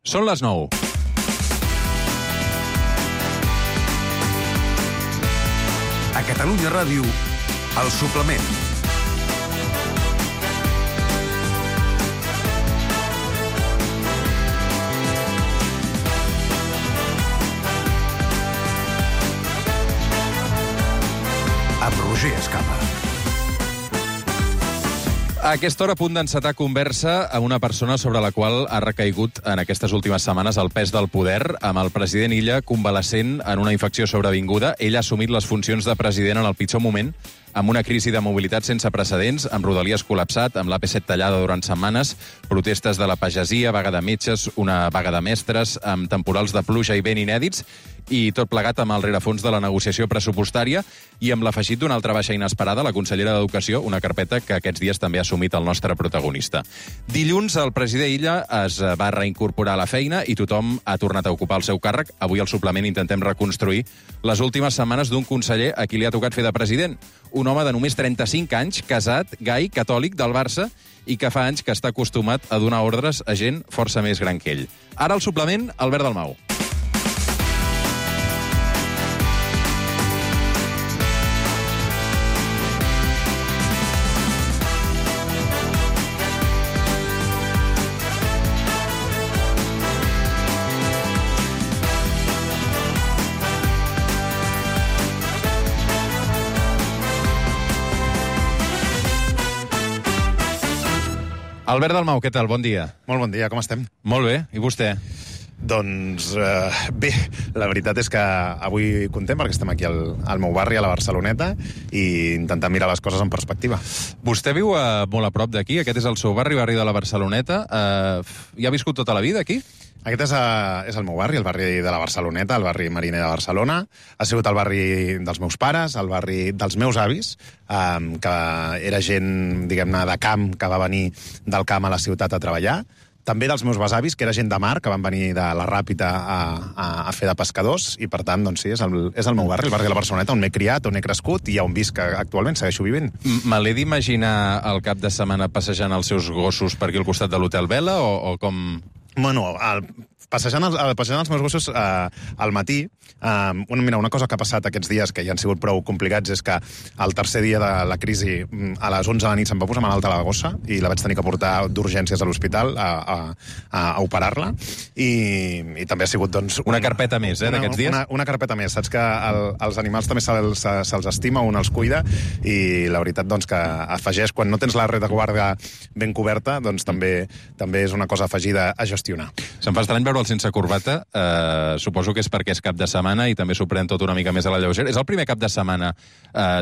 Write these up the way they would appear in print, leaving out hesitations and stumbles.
Són les 9. A Catalunya Ràdio, El Suplement. Amb Roger Escapa. A aquesta hora, a punt d'encetar conversa a una persona sobre la qual ha recaigut en aquestes últimes setmanes el pes del poder, amb el president Illa convalescent en una infecció sobrevinguda. Ell ha assumit les funcions de president en el pitjor moment, amb una crisi de mobilitat sense precedents, amb Rodalies col·lapsat, amb l'AP7 tallada durant setmanes, protestes de la pagesia, vaga de metges, una vaga de mestres, amb temporals de pluja i vent inèdits, i tot plegat amb el rerefons de la negociació pressupostària i amb l'afegit d'una altra baixa inesperada, la consellera d'Educació, una carpeta que aquests dies també ha assumit el nostre protagonista. Dilluns, el president Illa es va reincorporar a la feina i tothom ha tornat a ocupar el seu càrrec. Avui, al suplement, intentem reconstruir les últimes setmanes d'un conseller a qui li ha tocat fer de president. Un home de només 35 anys, casat, gai, catòlic, del Barça, i que fa anys que està acostumat a donar ordres a gent força més gran que ell. Ara, al suplement, Albert Dalmau. Albert Dalmau, què tal? Bon dia. Molt bon dia, com estem? Molt bé, i vostè? Doncs bé, la veritat és que avui contem perquè estem aquí al meu barri, a la Barceloneta, i intentant mirar les coses en perspectiva. Vostè viu molt a prop d'aquí, aquest és el seu barri de la Barceloneta. Hi ha viscut tota la vida aquí? Aquest és el meu barri, el barri de la Barceloneta, el barri mariner de Barcelona. Ha sigut el barri dels meus pares, el barri dels meus avis, que era gent, diguem-ne, de camp, que va venir del camp a la ciutat a treballar. També dels meus besavis, que era gent de mar, que van venir de la Ràpita a fer de pescadors, i per tant, doncs sí, és el meu barri, el barri de la Barceloneta, on m'he criat, on he crescut, i on visc actualment, segueixo vivint. Me l'he d'imaginar el cap de setmana passejant els seus gossos per aquí al costat de l'Hotel Vela, o com... Bueno, passejant els meus gossos al matí, mira, una cosa que ha passat aquests dies, que ja han sigut prou complicats, és que el tercer dia de la crisi, a les 11 de la nit, se'm va posar malalta la gossa i la vaig tenir que portar d'urgències a l'hospital a operar-la, i també ha sigut, doncs... Una carpeta més, d'aquests dies? Una carpeta més. Saps que els animals també se'ls estima, un els cuida, i la veritat, doncs, que afegeix, quan no tens la retaguarda ben coberta, doncs també és una cosa afegida a gestionar. Se'm fa estrany veure'l sense corbata. Suposo que és perquè és cap de setmana i també s'ho pren tot una mica més a la lleugera. És el primer cap de setmana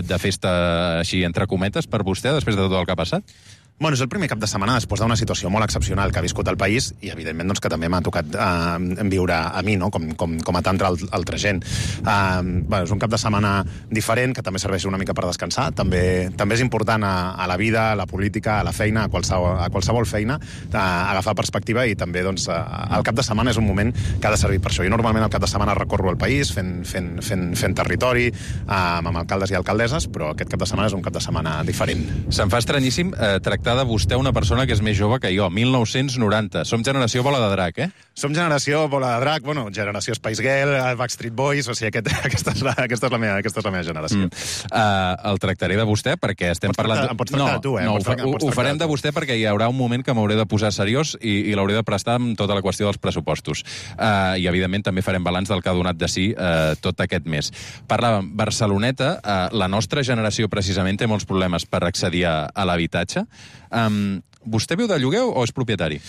de festa així entre cometes per vostè, després de tot el que ha passat? Bueno, és el primer cap de setmana després d'una situació molt excepcional que ha viscut el país, i evidentment doncs, que també m'ha tocat viure a mi, no? com a tanta altra gent. És un cap de setmana diferent, que també serveix una mica per descansar. També és important a la vida, a la política, a la feina, a qualsevol feina, agafar perspectiva, i també doncs, el cap de setmana és un moment que ha de servir per això. Jo normalment el cap de setmana recorro el país fent territori amb alcaldes i alcaldesses, però aquest cap de setmana és un cap de setmana diferent. Se'm fa estranyíssim tractar de vostè una persona que és més jove que jo, 1990. Som generació bola de drac, eh? Som generació bola de drac, bueno, generació Spice Girl, Backstreet Boys, o sigui, aquesta és la meva generació. El tractaré de vostè perquè estem parlant... Em pots tractar de tu, eh? No, ho farem de vostè perquè hi haurà un moment que m'hauré de posar seriós i l'hauré de prestar amb tota la qüestió dels pressupostos. I, evidentment, també farem balanç del que ha donat de si tot aquest mes. Parlàvem, Barceloneta, la nostra generació precisament té molts problemes per accedir a l'habitatge. Vostè viu de lloguer o és propietari?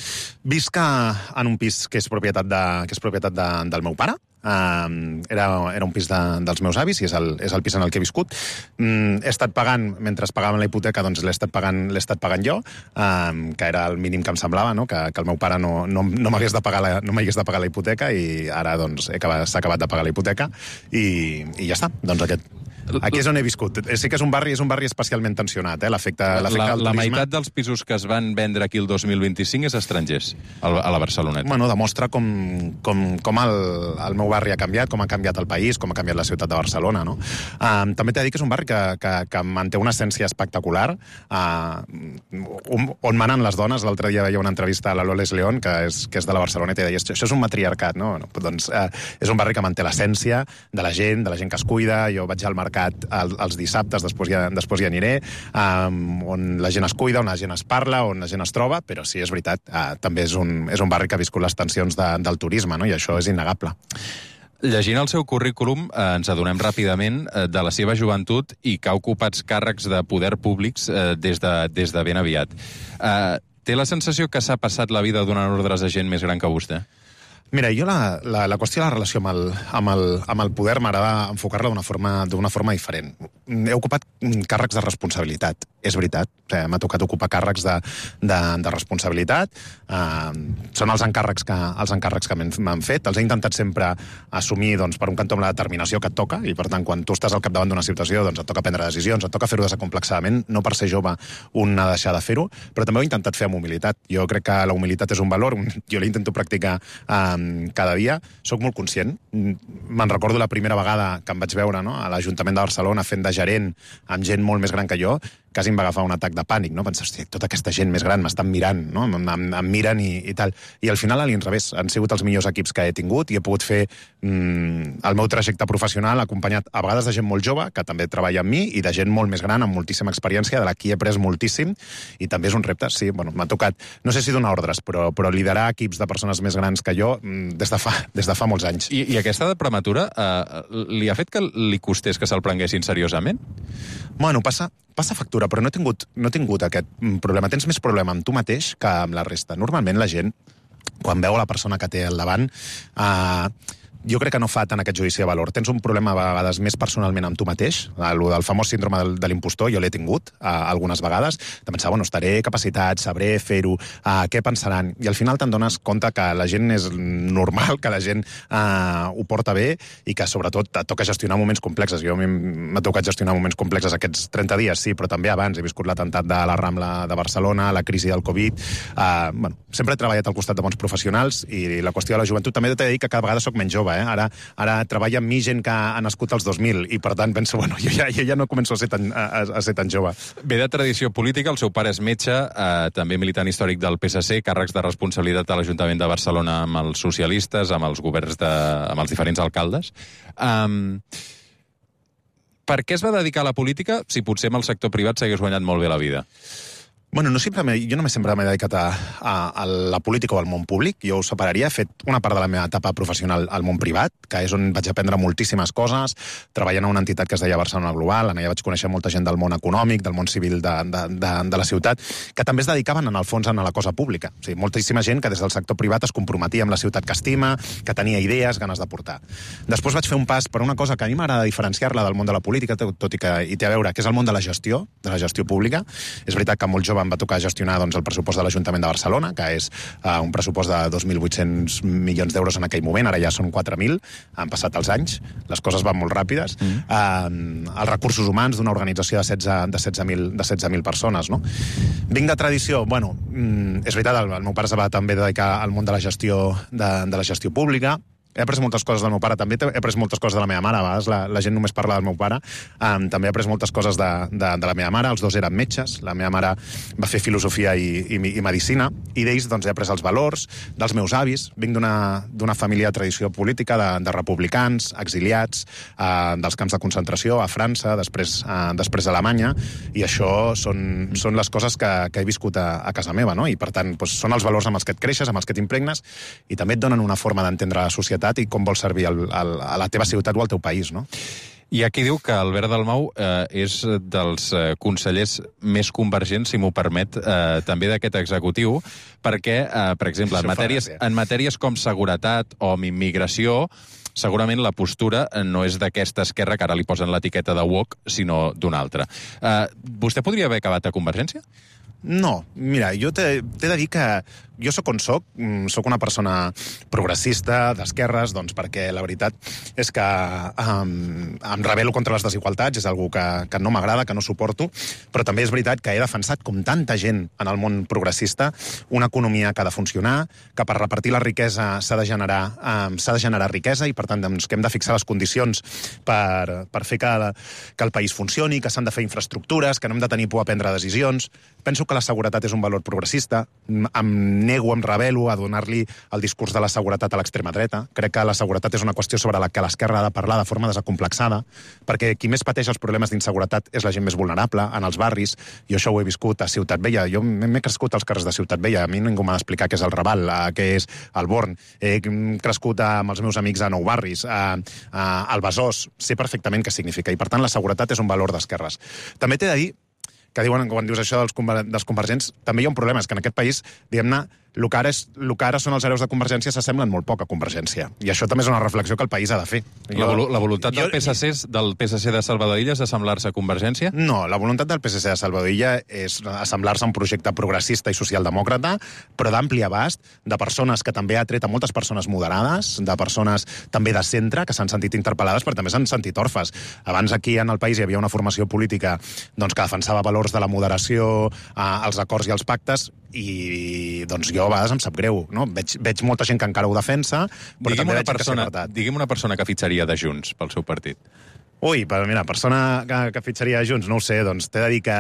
Visc en un pis que és propietat del meu pare. Era un pis dels meus avis, i és el pis en el que he viscut. He estat pagant, mentre pagaven la hipoteca, doncs l'he estat pagant jo, que era el mínim que em semblava, no? Que el meu pare no m'hagués de pagar la hipoteca, i ara doncs s'ha acabat de pagar la hipoteca, i ja està. Doncs Aquí és on he viscut. Sí que és un barri especialment tensionat, l'efecte del turisme. La meitat dels pisos que es van vendre aquí el 2025 és estrangers, a la Barceloneta. Bueno, demostra com el meu barri ha canviat, com ha canviat el país, com ha canviat la ciutat de Barcelona, no? També t'he de dir que és un barri que manté una essència espectacular, on manen les dones. L'altre dia veia una entrevista a la Loles León, que és de la Barceloneta, i deia, això és un matriarcat, no? Doncs és un barri que manté l'essència de la gent que es cuida. Jo vaig al mercat els dissabtes, després hi aniré, on la gent es cuida, on la gent es parla, on la gent es troba, però sí, és veritat, també és un barri que ha viscut les tensions del turisme, no? I això és innegable. Llegint el seu currículum, ens adonem ràpidament de la seva joventut i que ha ocupat càrrecs de poder públics des de ben aviat. Té la sensació que s'ha passat la vida donant ordres a gent més gran que vostè? Mira, jo la qüestió de la relació amb el poder m'agrada enfocar-la d'una forma diferent. He ocupat càrrecs de responsabilitat, és veritat. M'ha tocat ocupar càrrecs de responsabilitat. Són els encàrrecs que m'han fet. Els he intentat sempre assumir, doncs, per un cantó amb la determinació que et toca, i per tant, quan tu estàs al capdavant d'una situació, doncs et toca prendre decisions, et toca fer-ho desacomplexadament. No per ser jove un ha de deixar de fer-ho, però també ho he intentat fer amb humilitat. Jo crec que la humilitat és un valor, jo l'intento practicar cada dia. Soc molt conscient. Me'n recordo la primera vegada que em vaig veure, no, a l'Ajuntament de Barcelona fent de gerent amb gent molt més gran que jo, quasi em va agafar un atac de pànic, no? Pensar, hòstia, tota aquesta gent més gran m'estan mirant, no? Em miren i tal. I al final, a l'inrevés, han sigut els millors equips que he tingut i he pogut fer el meu trajecte professional acompanyat a vegades de gent molt jove, que també treballa amb mi, i de gent molt més gran, amb moltíssima experiència, de la qui he après moltíssim, i també és un repte. Sí, bueno, m'ha tocat, no sé si donar ordres, però liderar equips de persones més grans que jo des de fa molts anys. I aquesta de prematura li ha fet que li costés que se'l prenguessin seriosament? Bueno, passa factura, però no he tingut aquest problema. Tens més problema amb tu mateix que amb la resta. Normalment la gent, quan veu la persona que té al davant, jo crec que no fa tant aquest judici de valor. Tens un problema a vegades més personalment amb tu mateix, el famós síndrome de l'impostor, jo l'he tingut algunes vegades, de pensar, bueno, estaré capacitat, sabré fer-ho, què pensaran? I al final te'n dones compte que la gent és normal, que la gent ho porta bé i que sobretot et toca gestionar moments complexes. Jo m'ha tocat gestionar moments complexes aquests 30 dies, sí, però també abans. He viscut l'atemptat de la Rambla de Barcelona, la crisi del Covid. Bueno, sempre he treballat al costat de bons professionals i la qüestió de la joventut també t'he de dir que cada vegada soc menys jove. Ara treballa amb mi gent que ha nascut als 2000 i per tant penso, bueno, jo ja no començo a ser tan jove. Ve de tradició política, el seu pare és metge, també militant històric del PSC, càrrecs de responsabilitat a l'Ajuntament de Barcelona amb els socialistes, amb els governs amb els diferents alcaldes. Per què es va dedicar a la política si potser amb el sector privat s'hagués guanyat molt bé la vida? Bueno, jo només sempre m'he dedicat a la política o al món públic. Jo ho separaria. He fet una part de la meva etapa professional al món privat, que és on vaig aprendre moltíssimes coses, treballant a una entitat que es deia Barcelona Global. Allà vaig conèixer molta gent del món econòmic, del món civil de la ciutat, que també es dedicaven, en el fons, a la cosa pública. O sigui, moltíssima gent que des del sector privat es comprometia amb la ciutat que estima, que tenia idees, ganes de portar. Després vaig fer un pas per una cosa que a mi m'agrada diferenciar-la del món de la política, tot i que hi té a veure, que és el món de la gestió pública. És veritat que molt jove em va tocar gestionar el pressupost de l'Ajuntament de Barcelona, que és un pressupost de 2.800 milions d'euros en aquell moment, ara ja són 4.000, han passat els anys, les coses van molt ràpides. Els recursos humans d'una organització de 16.000 persones, no? Vinc de tradició, bueno, és veritat, el meu pare se va també dedicar al món de la gestió pública. He après moltes coses del meu pare, també he après moltes coses de la meva mare. A vegades la gent només parla del meu pare. També he après moltes coses de la meva mare. Els dos eren metges. La meva mare va fer filosofia i medicina. I d'ells doncs, he après els valors dels meus avis. Vinc d'una família de tradició política, de republicans, exiliats, dels camps de concentració a França, després a Alemanya. I això són les coses que he viscut a casa meva, no? I per tant, doncs, són els valors amb els que et creixes, amb els que t'impregnes, i també et donen una forma d'entendre la societat i com vols servir a la teva ciutat o al teu país, no? Hi ha qui diu que Albert Dalmau és dels consellers més convergents, si m'ho permet, també d'aquest executiu, perquè, per exemple, en matèries com seguretat o immigració, segurament la postura no és d'aquesta esquerra que ara li posen l'etiqueta de woke, sinó d'una altra. Vostè podria haver acabat a Convergència? No, mira, jo t'he de dir que jo sóc on soc una persona progressista, d'esquerres, doncs perquè la veritat és que em rebel·lo contra les desigualtats, és algo que no m'agrada, que no suporto, però també és veritat que he defensat, com tanta gent en el món progressista, una economia que ha de funcionar, que per repartir la riquesa s'ha de generar riquesa i, per tant, doncs, que hem de fixar les condicions per fer que el país funcioni, que s'han de fer infraestructures, que no hem de tenir por a prendre decisions. Penso que la seguretat és un valor progressista. Em nego, em rebel·lo a donar-li el discurs de la seguretat a l'extrema dreta. Crec que la seguretat és una qüestió sobre la que l'esquerra ha de parlar de forma desacomplexada, perquè qui més pateix els problemes d'inseguretat és la gent més vulnerable, en els barris. Jo això ho he viscut a Ciutat Vella. Jo m'he crescut als carrers de Ciutat Vella. A mi ningú m'ha d'explicar què és el Raval, què és el Born. He crescut amb els meus amics a Nou Barris, al Besòs. Sé perfectament què significa. I, per tant, la seguretat és un valor d'esquerres. També t'he de dir que diuen, quan dius això dels convergents, també hi ha un problema, és que en aquest país, diguem-ne, el que ara són els hereus de Convergència s'assemblen molt poc a Convergència. I això també és una reflexió que el país ha de fer. La voluntat del PSC de Salvador Illa és assemblar-se a Convergència? No, la voluntat del PSC de Salvador Illa és assemblar-se a un projecte progressista i socialdemòcrata, però d'ampli abast, de persones que també ha tret a moltes persones moderades, de persones també de centre, que s'han sentit interpel·lades, però també s'han sentit orfes. Abans aquí en el país hi havia una formació política doncs, que defensava valors de la moderació, els acords i els pactes, i doncs jo a vegades em sap greu, no? Veig molta gent que encara ho defensa, però també veig que s'ha apartat. Digui'm una persona que fitxaria de Junts pel seu partit. Ui, però mira, persona que fitxaria de Junts, no ho sé, doncs t'he de dir que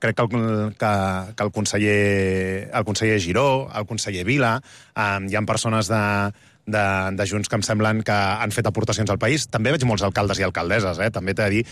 crec que el conseller Giró, el conseller Vila, hi ha persones de Junts que em semblen que han fet aportacions al país. També veig molts alcaldes i alcaldesses, també t'he de dir.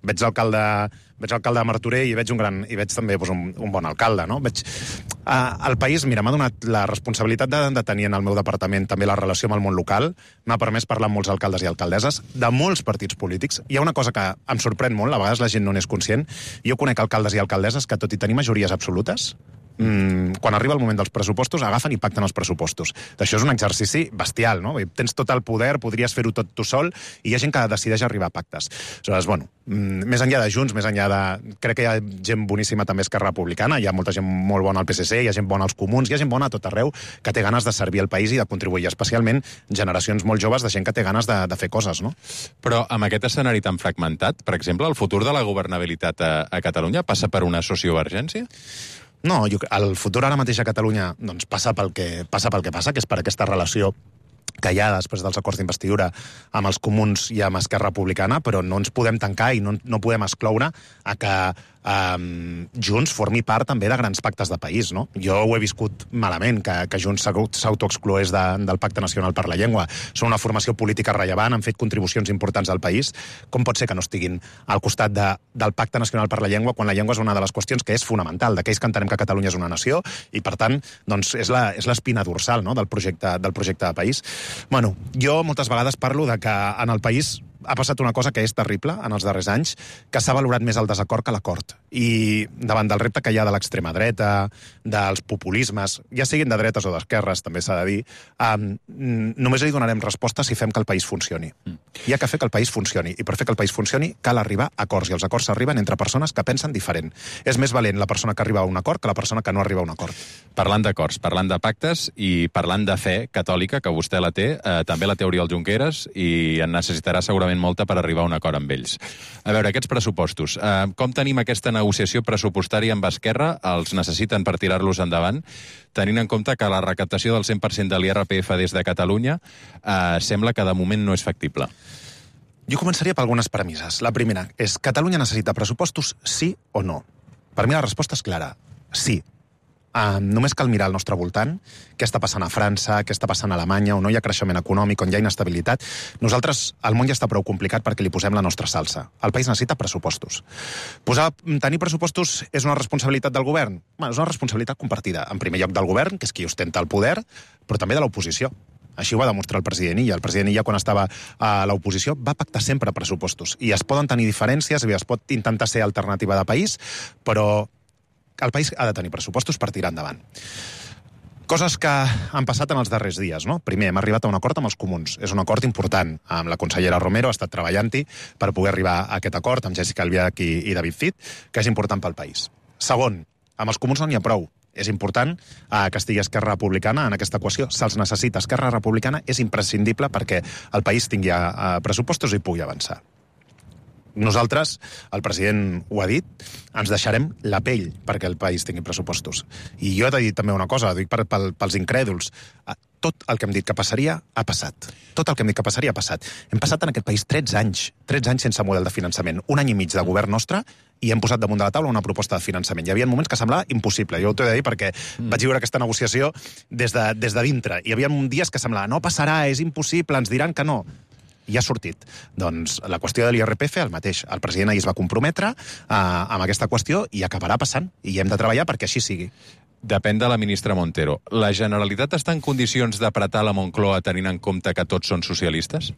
Veig l'alcalde de Martorell i veig també un bon alcalde, no? El país, mira, m'ha donat la responsabilitat de tenir en el meu departament també la relació amb el món local, m'ha permès parlar amb molts alcaldes i alcaldesses de molts partits polítics. Hi ha una cosa que em sorprèn molt, a vegades la gent no n'és conscient. Jo conec alcaldes i alcaldesses que, tot i tenir majories absolutes, quan arriba el moment dels pressupostos, agafen i pacten els pressupostos. Això és un exercici bestial, no? Tens tot el poder, podries fer-ho tot tu sol, i hi ha gent que decideix arribar a pactes. Aleshores, bueno, més enllà de Junts, més enllà de... Crec que hi ha gent boníssima també a Esquerra Republicana, hi ha molta gent molt bona al PSC, hi ha gent bona als Comuns, hi ha gent bona a tot arreu que té ganes de servir al país i de contribuir, especialment generacions molt joves de gent que té ganes de fer coses, no? Però amb aquest escenari tan fragmentat, per exemple, el futur de la governabilitat a Catalunya passa per una sociovergència? No, el futur ara mateix a Catalunya doncs, passa pel que passa, que és per aquesta relació que hi ha després dels acords d'investidura amb els Comuns i amb Esquerra Republicana, però no ens podem tancar i no podem excloure a que Junts formi part també de grans pactes de país, no? Jo ho he viscut malament, que Junts s'autoexcloés del Pacte Nacional per la Llengua. Són una formació política rellevant, han fet contribucions importants al país. Com pot ser que no estiguin al costat del Pacte Nacional per la Llengua quan la llengua és una de les qüestions que és fonamental, d'aquells que entenem que Catalunya és una nació i, per tant, doncs és l'espina dorsal, no?, del projecte de país. Bueno, jo moltes vegades parlo de que en el país ha passat una cosa que és terrible en els darrers anys, que s'ha valorat més el desacord que l'acord. I davant del repte que hi ha de l'extrema dreta, dels populismes, ja siguin de dretes o d'esquerres, també s'ha de dir, només li donarem resposta si fem que el país funcioni. Hi ha que fer que el país funcioni, i per fer que el país funcioni cal arribar a acords, i els acords s'arriben entre persones que pensen diferent. És més valent la persona que arriba a un acord que la persona que no arriba a un acord. Parlant d'acords, parlant de pactes i parlant de fe catòlica, que vostè la té, també la té Oriol Junqueras, i en necessitarà segurament molta per arribar a un acord amb ells. A veure, aquests pressupostos, com tenim aquesta negociació pressupostària amb Esquerra? Els necessiten per tirar-los endavant, tenint en compte que la recaptació del 100% de l'IRPF des de Catalunya sembla que de moment no és factible. Jo començaria per algunes premisses. La primera és: Catalunya necessita pressupostos, sí o no? Per mi la resposta és clara: sí. Només cal mirar al nostre voltant què està passant a França, què està passant a Alemanya, on no hi ha creixement econòmic, on hi ha inestabilitat. Nosaltres, el món ja està prou complicat perquè li posem la nostra salsa. El país necessita pressupostos. Tenir pressupostos és una responsabilitat del govern? Bé, és una responsabilitat compartida. En primer lloc del govern, que és qui ostenta el poder, però també de l'oposició. Així ho va demostrar el president Illa. El president Illa, quan estava a l'oposició, va pactar sempre pressupostos. I es poden tenir diferències, i es pot intentar ser alternativa de país, però el país ha de tenir pressupostos per tirar endavant. Coses que han passat en els darrers dies, no? Primer, hem arribat a un acord amb els Comuns. És un acord important. Amb la consellera Romero ha estat treballant-hi per poder arribar a aquest acord, amb Jessica Albiach i David Cid, que és important pel país. Segon, amb els comuns no n'hi ha prou. És important que estigui Esquerra Republicana en aquesta equació. Se'ls necessita. Esquerra Republicana és imprescindible perquè el país tingui pressupostos i pugui avançar. Nosaltres, el president ho ha dit, ens deixarem la pell perquè el país tingui pressupostos. I jo he de dir també una cosa, dic pels incrèduls. Tot el que hem dit que passaria ha passat. Tot el que hem dit que passaria ha passat. Hem passat en aquest país 13 anys sense model de finançament. Un any i mig de govern nostre i hem posat damunt de la taula una proposta de finançament. Hi havia moments que semblava impossible. Jo ho t'he de dir perquè vaig viure aquesta negociació des de dintre. Hi havia dies que semblava, no passarà, és impossible, ens diran que no. I ha sortit. Doncs la qüestió de l'IRPF, el mateix. El president ahir es va comprometre amb aquesta qüestió i acabarà passant. I hem de treballar perquè així sigui. Depèn de la ministra Montero. La Generalitat està en condicions d'apretar la Moncloa tenint en compte que tots són socialistes?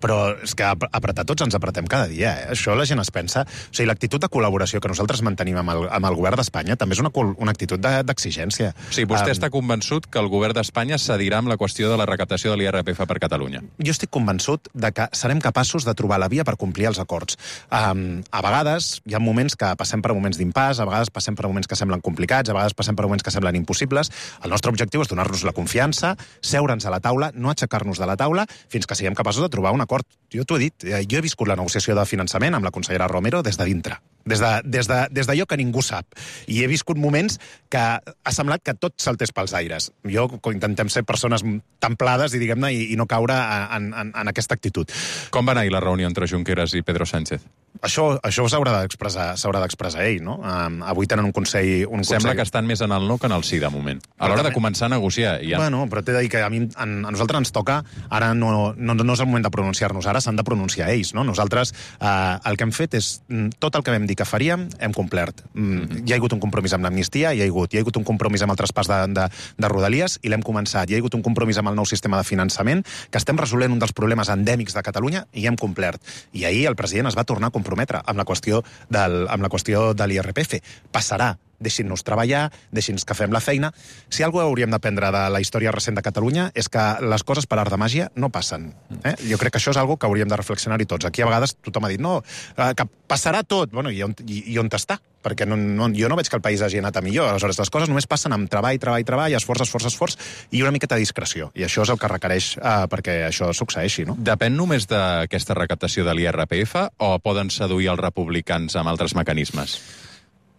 Però és que apretar tots ens apretem cada dia. Això la gent es pensa. O sigui, l'actitud de col·laboració que nosaltres mantenim amb el govern d'Espanya també és una actitud d'exigència. O sigui, vostè està convençut que el govern d'Espanya cedirà amb la qüestió de la recaptació de l'IRPF per Catalunya? Jo estic convençut de que serem capaços de trobar la via per complir els acords. A vegades hi ha moments que passem per moments d'impàs, a vegades passem per moments que semblen complicats, a vegades passem per moments que semblen impossibles. El nostre objectiu és donar-nos la confiança, seure'ns a la taula, no aixecar-nos de la taula, fins que siguem capaços de trobar un acord. Jo t'ho he dit, jo he viscut la negociació de finançament amb la consellera Romero des de dintre. Des d'allò que ningú sap. I he viscut moments que ha semblat que tot saltés pels aires. Jo intentem ser persones templades i diguem-ne i no caure en aquesta actitud. Com va anar la reunió entre Junqueras i Pedro Sánchez? Això s'haurà d'expressar ell, no? Avui tenen un consell... Sembla que estan més en el no que en el sí, de moment. A l'hora de començar a negociar. Bueno, però t'he de dir que a nosaltres ens toca... Ara no és el moment de pronunciar-nos, ara s'han de pronunciar ells, no? Nosaltres el que hem fet és... Tot el que vam dir que faríem, hem complert. Hi ha hagut un compromís amb l'amnistia, hi ha hagut un compromís amb el traspàs de Rodalies, i l'hem començat. Hi ha hagut un compromís amb el nou sistema de finançament, que estem resolent un dels problemes endèmics de Catalunya, i hem complert. I ahir el president es va tornar a comprometre amb la qüestió de l'IRPF. Passarà. Deixin-nos treballar, deixin-nos que fem la feina. Si alguna cosa hauríem d'aprendre de la història recent de Catalunya és que les coses per art de màgia no passen. Jo crec que això és algo que hauríem de reflexionar-hi tots. Aquí a vegades tothom ha dit, no, que passarà tot. Bueno, i on està? Perquè jo no veig que el país hagi anat a millor. Aleshores, les coses només passen amb treball, esforç, i una miqueta de discreció. I això és el que requereix perquè això succeeixi, no? Depèn només d'aquesta recaptació de l'IRPF o poden seduir els republicans amb altres mecanismes?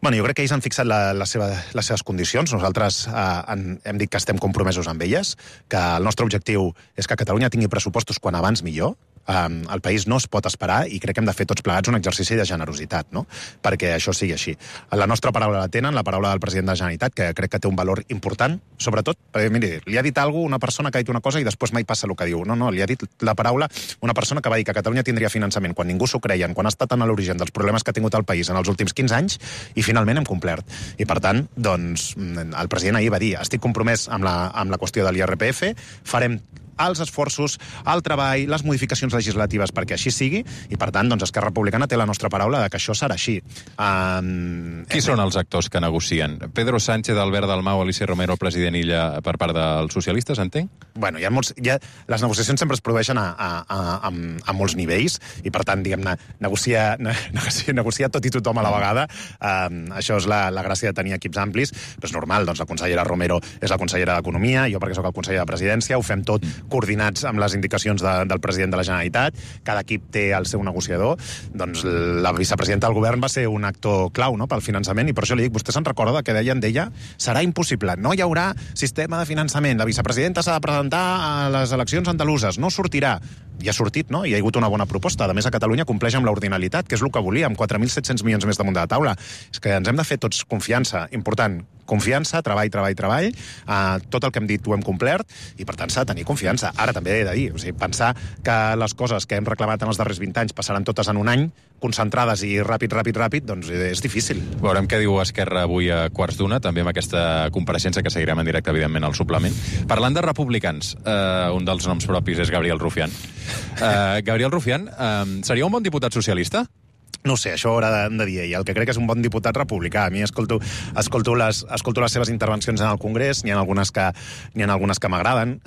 Bueno, jo crec que ells han fixat les seves condicions. Nosaltres hem dit que estem compromesos amb elles, que el nostre objectiu és que Catalunya tingui pressupostos quan abans millor. El país no es pot esperar i crec que hem de fer tots plegats un exercici de generositat, no? Perquè això sigui així. La nostra paraula la tenen, la paraula del president de la Generalitat, que crec que té un valor important, sobretot, perquè, miri, li ha dit una persona que ha dit una cosa i després mai passa el que diu. No, li ha dit la paraula una persona que va dir que Catalunya tindria finançament quan ningú s'ho creien, quan ha estat en l'origen dels problemes que ha tingut el país en els últims 15 anys, i finalment hem complert. I per tant, doncs, el president ahir va dir, estic compromès amb la qüestió de l'IRPF, farem els esforços, el treball, les modificacions legislatives perquè així sigui, i per tant, doncs, Esquerra Republicana té la nostra paraula de que això serà així. Qui són els actors que negocien? Pedro Sánchez, Albert Dalmau, Alicia Romero, president Illa per part dels socialistes, entenc? Bueno, les negociacions sempre es produeixen a molts nivells, i per tant, diguem-ne, negociar tot i tothom a la vegada. Això és la gràcia de tenir equips amplis, però és normal, doncs la consellera Romero és la consellera d'Economia, jo perquè sóc el conseller de Presidència, ho fem tot coordinats amb les indicacions del president de la Generalitat, cada equip té el seu negociador, doncs la vicepresidenta del govern va ser un actor clau, no?, pel finançament, i per això li dic, vostè se'n recorda que deien d'ella, serà impossible, no hi haurà sistema de finançament, la vicepresidenta s'ha de presentar a les eleccions andaluses, no sortirà. I ha sortit, no? I hi ha hagut una bona proposta. A més, a Catalunya compleix amb l'ordinalitat, que és el que volíem, 4.700 milions més damunt de la taula. És que ens hem de fer tots confiança. Important, confiança, treball. Tot el que hem dit ho hem complert, i per tant s'ha de tenir confiança. Ara també he de dir, pensar que les coses que hem reclamat en els darrers 20 anys passaran totes en un any, concentrades i ràpid, doncs és difícil. Veurem què diu Esquerra avui a 1:15, també amb aquesta compareixença que seguirem en directe, evidentment, al suplement. Parlant de republicans, un dels noms propis és Gabriel Rufián. Gabriel Rufián seria un bon diputat socialista? No ho sé, això ho haurà de dir ell. El que crec que és un bon diputat republicà. A mi escolto les seves intervencions en el Congrés, n'hi ha algunes que m'agraden.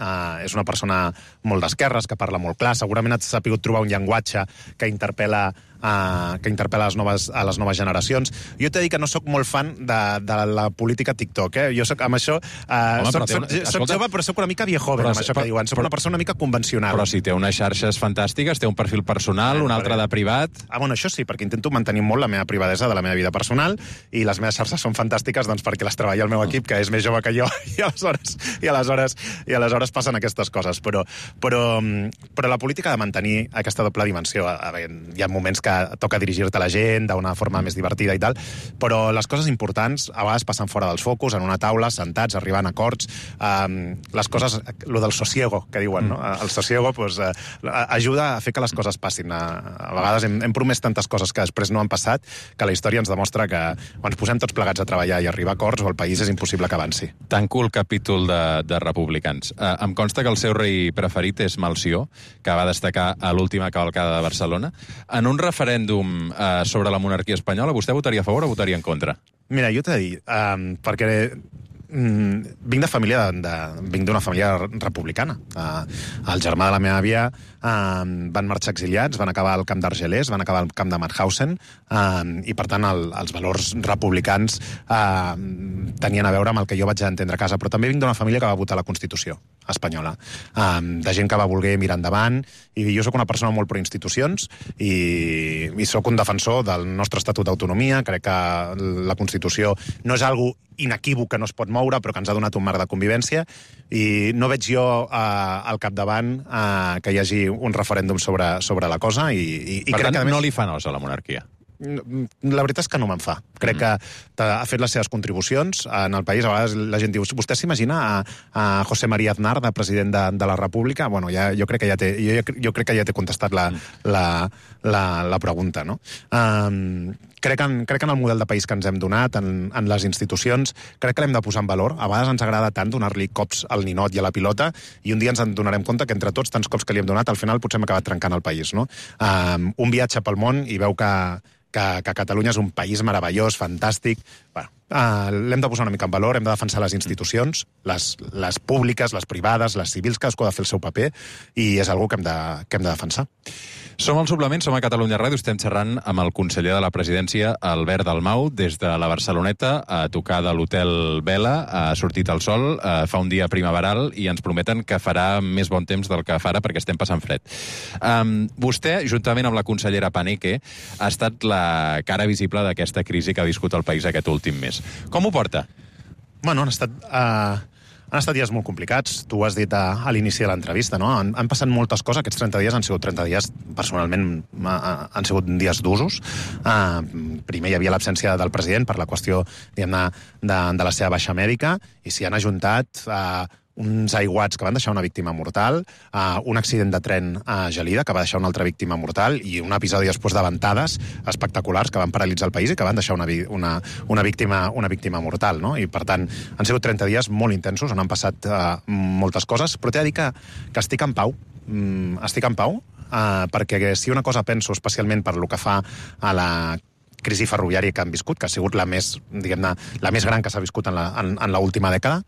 És una persona molt d'esquerres, que parla molt clar. Segurament ha sabut trobar un llenguatge que interpel·la que interpel·la a les noves generacions. Jo t'he de dir que no sóc molt fan de la política TikTok, eh? Jo soc amb això... Soc jove, però soc una mica viejoven, amb això que diuen. Soc una persona una mica convencional. Però si té unes xarxes fantàstiques, té un perfil personal, un altre de privat... Bueno, això sí, perquè intento mantenir molt la meva privadesa de la meva vida personal, i les meves xarxes són fantàstiques doncs, perquè les treballa el meu equip, que és més jove que jo, i aleshores passen aquestes coses. Però la política ha de mantenir aquesta doble dimensió. Hi ha moments que toca dirigir-te a la gent d'una forma més divertida i tal, però les coses importants a vegades passen fora dels focus, en una taula, sentats, arribant a acords. Les coses, lo del sosiego, que diuen, no? El sosiego ajuda a fer que les coses passin. A vegades hem promès tantes coses que després no han passat, que la història ens demostra que quan ens posem tots plegats a treballar i arribar a acords, el país és impossible que avanci. Tanco el capítol de republicans. Em consta que el seu rei preferit és Malció, que va destacar a l'última cavalcada de Barcelona. En un referèndum sobre la monarquia espanyola, vostè votaria a favor o votaria en contra? Mira, jo t'he de dir, perquè vinc d'una família republicana. El germà de la meva àvia van marxar exiliats, van acabar al camp d'Argelers, van acabar al camp de Mauthausen, i per tant els valors republicans tenien a veure amb el que jo vaig entendre a casa. Però també vinc d'una família que va votar la Constitució espanyola, de gent que va voler mirar endavant, i jo sóc una persona molt pro-institucions i sóc un defensor del nostre Estatut d'Autonomia. Crec que la Constitució no és algo inequívoc que no es pot moure, però que ens ha donat un marc de convivència, i no veig jo al capdavant que hi hagi un referèndum sobre la cosa. Per tant, no li fa nos a la monarquia? La veritat és que no me'n fa. Crec que ha fet les seves contribucions en el país. A vegades la gent diu, vostè s'imagina a José María Aznar de president de la República? Bueno, jo crec que ja té contestat la pregunta, no? Crec que en el model de país que ens hem donat, en les institucions, crec que l'hem de posar en valor. A vegades ens agrada tant donar-li cops al ninot i a la pilota, i un dia ens en donarem compte que entre tots tants cops que li hem donat, al final potser hem acabat trencant el país, no? Un viatge pel món i veu que Catalunya és un país meravellós, fantàstic. Bueno, l'hem de posar una mica en valor, hem de defensar les institucions, les públiques, les privades, les civils, cadascú ha de fer el seu paper, i és algo que hem de defensar. Som al Suplement, som a Catalunya Ràdio, estem xerrant amb el conseller de la Presidència, Albert Dalmau, des de la Barceloneta, a tocar de l'Hotel Vela. Ha sortit el sol, fa un dia primaveral, i ens prometen que farà més bon temps del que fa ara, perquè estem passant fred. Vostè, juntament amb la consellera Paneque, ha estat la cara visible d'aquesta crisi que ha viscut el país aquest últim mes. Com ho porta? Bueno, han estat dies molt complicats. Tu ho has dit a l'inici de l'entrevista, no? Han passat moltes coses. Aquests 30 dies han sigut 30 dies, personalment, han sigut dies d'usos. Primer hi havia l'absència del president per la qüestió, diguem-ne, de la seva baixa mèdica, i s'hi han ajuntat uns aiguats que van deixar una víctima mortal, un accident de tren a Gelida que va deixar una altra víctima mortal, i un episodi després de ventades espectaculars que van paralitzar el país i que van deixar una víctima mortal, no? I per tant, han sigut 30 dies molt intensos, on han passat moltes coses, però t'he de dir que estic en pau. Estic en pau, perquè si una cosa penso, especialment per lo que fa a la crisi ferroviària que han viscut, que ha sigut la més gran que s'ha viscut en l'última dècada.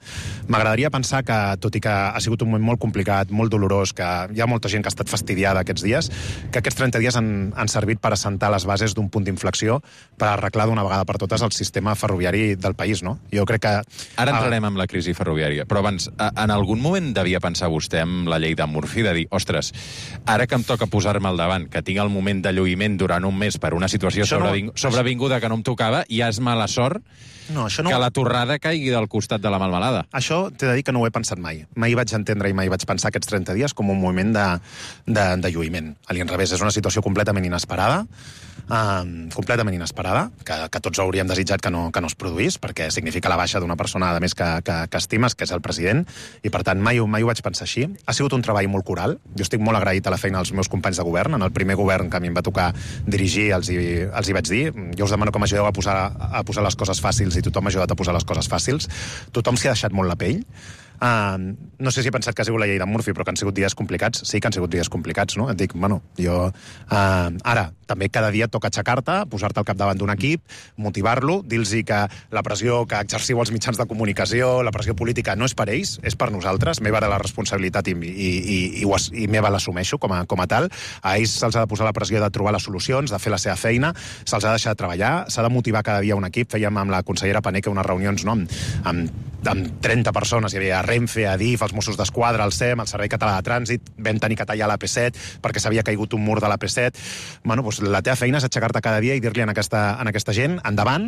M'agradaria pensar que, tot i que ha sigut un moment molt complicat, molt dolorós, que hi ha molta gent que ha estat fastidiada aquests dies, que aquests 30 dies han servit per assentar les bases d'un punt d'inflexió per arreglar d'una vegada per totes el sistema ferroviari del país, no? Jo crec que... Ara entrarem amb la crisi ferroviària, però abans, en algun moment devia pensar vostè amb la llei de Murphy, de dir, ostres, ara que em toca posar-me al davant, que tinc el moment de lluïment durant un mes per una situació sobrevinguda que no em tocava, ja és mala sort que la torrada caigui del costat de la melmelada. Això t'he de dir que no ho he pensat mai. Mai vaig entendre i mai vaig pensar aquests 30 dies com un moment de lluïment. A l'inrevés, és una situació completament inesperada, que tots hauríem desitjat que no es produís, perquè significa la baixa d'una persona, a més, que estimes, que és el president, i per tant mai ho vaig pensar així. Ha sigut un treball molt coral. Jo estic molt agraït a la feina dels meus companys de govern. En el primer govern que a mi em va tocar dirigir, els hi vaig dir, jo us demano que m'ajudeu a posar les coses fàcils, i tothom m'ha ajudat a posar les coses fàcils. Tothom s'hi ha deixat molt la pell. No sé si he pensat que ha sigut la llei de Murphy, però que han sigut dies complicats. Sí que han sigut dies complicats, no? Et dic, bueno, jo... Ara, també cada dia toca aixecar-te, posar-te al capdavant d'un equip, motivar-lo, dir-los que la pressió que exerciu els mitjans de comunicació, la pressió política, no és per ells, és per nosaltres. Meva era la responsabilitat i meva l'assumeixo com a tal. A ells se'ls ha de posar la pressió de trobar les solucions, de fer la seva feina, se'ls ha de deixar de treballar, s'ha de motivar cada dia un equip. Fèiem amb la consellera Paneque unes reunions, no?, amb 30 persones. Hi havia Renfe, Adif, els Mossos d'Esquadra, el SEM, el Servei Català de Trànsit. Vam tenir que tallar la P7 perquè s'havia caigut un mur de la P7. Bueno, doncs la teva feina és aixecar-te cada dia i dir-li a aquesta gent, endavant,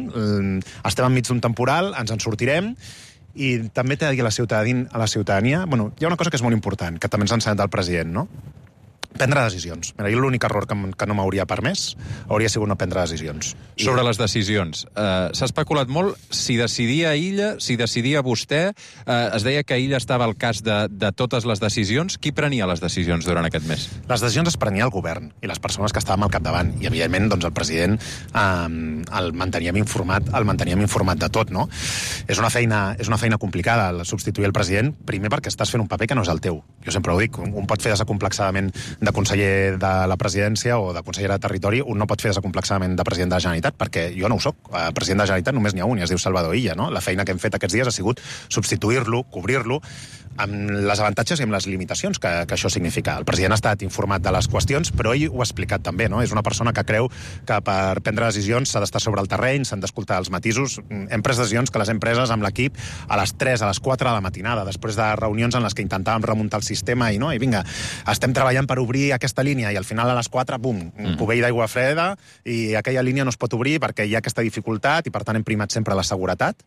estem enmig d'un temporal, ens en sortirem. I també t'he de dir a la ciutadania, bueno, hi ha una cosa que és molt important, que també ens ha ensenyat el president, no? Prendre decisions. Mira, jo l'únic error que no m'hauria permès hauria sigut no prendre decisions. Sobre les decisions, s'ha especulat molt si decidia Illa, si decidia vostè. Es deia que Illa estava al cas de totes les decisions. Qui prenia les decisions durant aquest mes? Les decisions es prenia el govern i les persones que estàvem al capdavant. I, evidentment, doncs, el president el manteníem informat de tot, no? És una feina complicada, substituir el president, primer perquè estàs fent un paper que no és el teu. Jo sempre ho dic, un pot fer desacomplexadament de conseller de la presidència o de consellera de territori, un no pot fer desacomplexadament de president de la Generalitat, perquè jo no ho soc. President de la Generalitat només n'hi ha un, i es diu Salvador Illa, no? La feina que hem fet aquests dies ha sigut substituir-lo, cobrir-lo, amb les avantatges i amb les limitacions que això significa. El president ha estat informat de les qüestions, però ell ho ha explicat també, no? És una persona que creu que per prendre decisions s'ha d'estar sobre el terreny, s'han d'escoltar els matisos. Hem pres decisions que les hem preses amb l'equip a les 3, a les 4 de la matinada, després de reunions en les que intentàvem remuntar el sistema i vinga, estem treballant per obrir aquesta línia, i al final a les 4, bum, cubell d'aigua freda, i aquella línia no es pot obrir perquè hi ha aquesta dificultat, i per tant hem primat sempre la seguretat.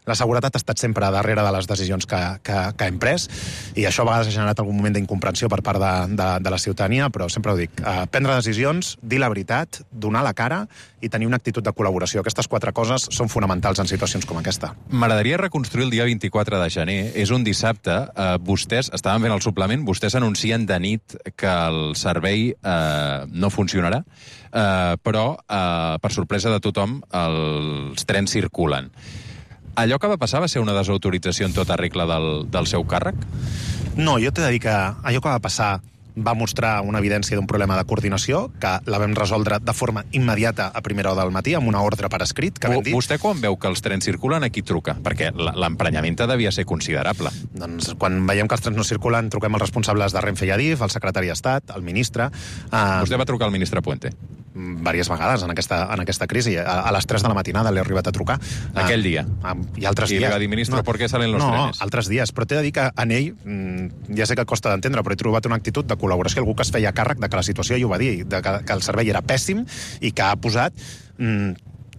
La seguretat ha estat sempre darrere de les decisions que hem pres, i això a vegades ha generat algun moment d'incomprensió per part de la ciutadania, però sempre ho dic, prendre decisions, dir la veritat, donar la cara i tenir una actitud de col·laboració. Aquestes 4 coses són fonamentals en situacions com aquesta. M'agradaria reconstruir el dia 24 de gener. És un dissabte. Vostès, estàvem fent el suplement, vostès anuncien de nit que el servei no funcionarà, però, per sorpresa de tothom, els trens circulen. Allò que va passar va ser una desautorització en tota regla del seu càrrec? No, jo t'he de dir que allò que va passar va mostrar una evidència d'un problema de coordinació que la vam resoldre de forma immediata a primera hora del matí, amb una ordre per escrit que vam dir... Vostè quan veu que els trens circulen, a qui truca? Perquè l'emprenyament devia ser considerable. Doncs quan veiem que els trens no circulen, truquem els responsables de Renfe i Adif, el secretari d'Estat, el ministre... Vostè va trucar al ministre Puente? Diverses vegades en aquesta crisi. A les 3 de la matinada l'he arribat a trucar. Aquell dia? I altres dies. I li va dir, ministre, ¿por qué salen los trenes? No, altres dies. Però t'he de dir que en ell, ja sé que costa d'entendre, però he trobat una actitud de col·laboració, algú que es feia càrrec de que la situació, i ho va dir, que el servei era pèssim i que ha posat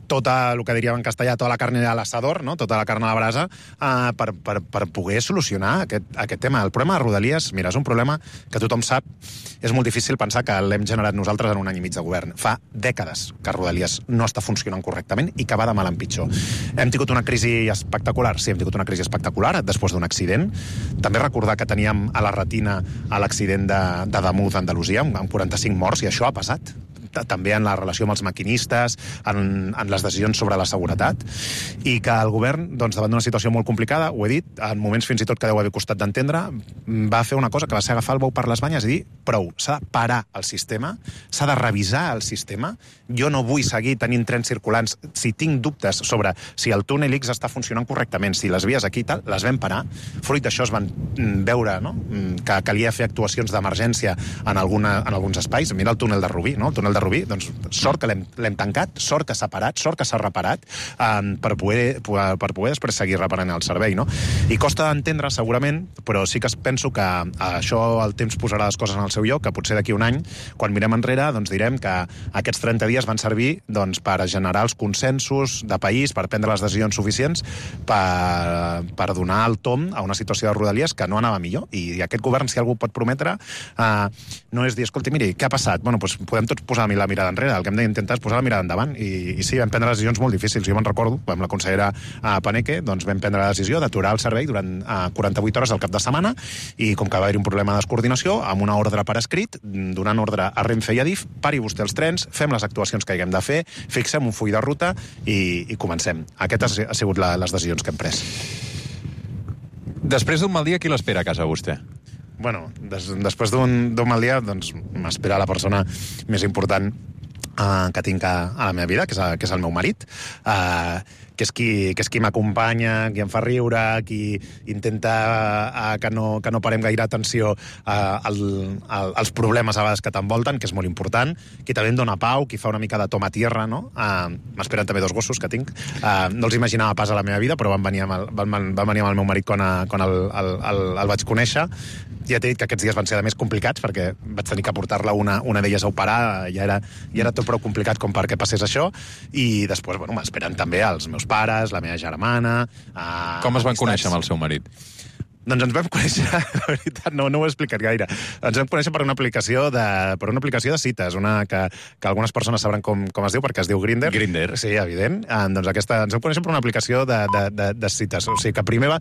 tota, el que diríem en castellà, tota la carne a l'assador, no? Tota la carn a la brasa, per poder solucionar aquest tema. El problema de Rodalies, mira, és un problema que tothom sap, és molt difícil pensar que l'hem generat nosaltres en un any i mig de govern. Fa dècades que Rodalies no està funcionant correctament i que va de mal en pitjor. Hem tingut una crisi espectacular? Sí, hem tingut una crisi espectacular després d'un accident. També recordar que teníem a la retina l'accident de Damunt d'Andalusia, amb 45 morts, i això ha passat. També en la relació amb els maquinistes, en les decisions sobre la seguretat, i que el govern, doncs, davant d'una situació molt complicada, ho he dit, en moments fins i tot que deu haver costat d'entendre, va fer una cosa que va ser agafar el bou per les banyes i dir, prou, s'ha de parar el sistema, s'ha de revisar el sistema, jo no vull seguir tenint trens circulants, si tinc dubtes sobre si el túnel X està funcionant correctament, si les vies aquí i tal, les vam parar, fruit d'això es van veure, no?, que calia fer actuacions d'emergència en alguns espais. Mira el túnel de Rubí, no? El túnel de Rubí, doncs sort que l'hem tancat, sort que s'ha parat, sort que s'ha reparat, per poder després seguir reparant el servei, no? I costa d'entendre, segurament, però sí que penso que això el temps posarà les coses en el seu lloc, que potser d'aquí un any, quan mirem enrere, doncs direm que aquests 30 dies van servir, doncs, per generar els consensos de país, per prendre les decisions suficients, per donar el tom a una situació de Rodalies que no anava millor. I aquest govern, si algú pot prometre, no és dir, escolti, miri, què ha passat? Bueno, doncs podem tots posar la mirada enrere, el que hem d'intentar és posar la mirada endavant, i sí, vam prendre decisions molt difícils. Jo me'n recordo, amb la consellera Paneque, doncs vam prendre la decisió d'aturar el servei durant 48 hores al cap de setmana, i com que va haver-hi un problema de descoordinació, amb una ordre per escrit, donant ordre a Renfe i Adif, pari vostè els trens, fem les actuacions que haguem de fer, fixem un full de ruta i comencem. Aquestes han sigut les decisions que hem pres. Després d'un mal dia, qui l'espera a casa, vostè? Bueno, després d'un mal dia, doncs m'espera la persona més important que tinc a la meva vida, que és el meu marit, que és qui m'acompanya, qui em fa riure, qui intenta que no parem gaire atenció als problemes a vegades que t'envolten, que és molt important, qui també em dona pau, qui fa una mica de toma tierra, no? M'esperen també 2 gossos que tinc. No els imaginava pas a la meva vida, però van venir amb el meu marit quan el vaig conèixer. Ja t'he dit que aquests dies van ser de més complicats perquè vaig tenir que portar-la una d'elles a operar, ja era tot prou complicat com perquè passés això, i després, bueno, m'esperen també els meus pares, la meva germana... Com es van conèixer amb el seu marit? Doncs ens vam conèixer, la veritat, no ho he explicat gaire. Ens vam conèixer per una aplicació de cites, que algunes persones sabran com es diu, perquè es diu Grindr. Grindr. Sí, evident. Doncs ens vam conèixer per una aplicació de cites. O sigui, que primer va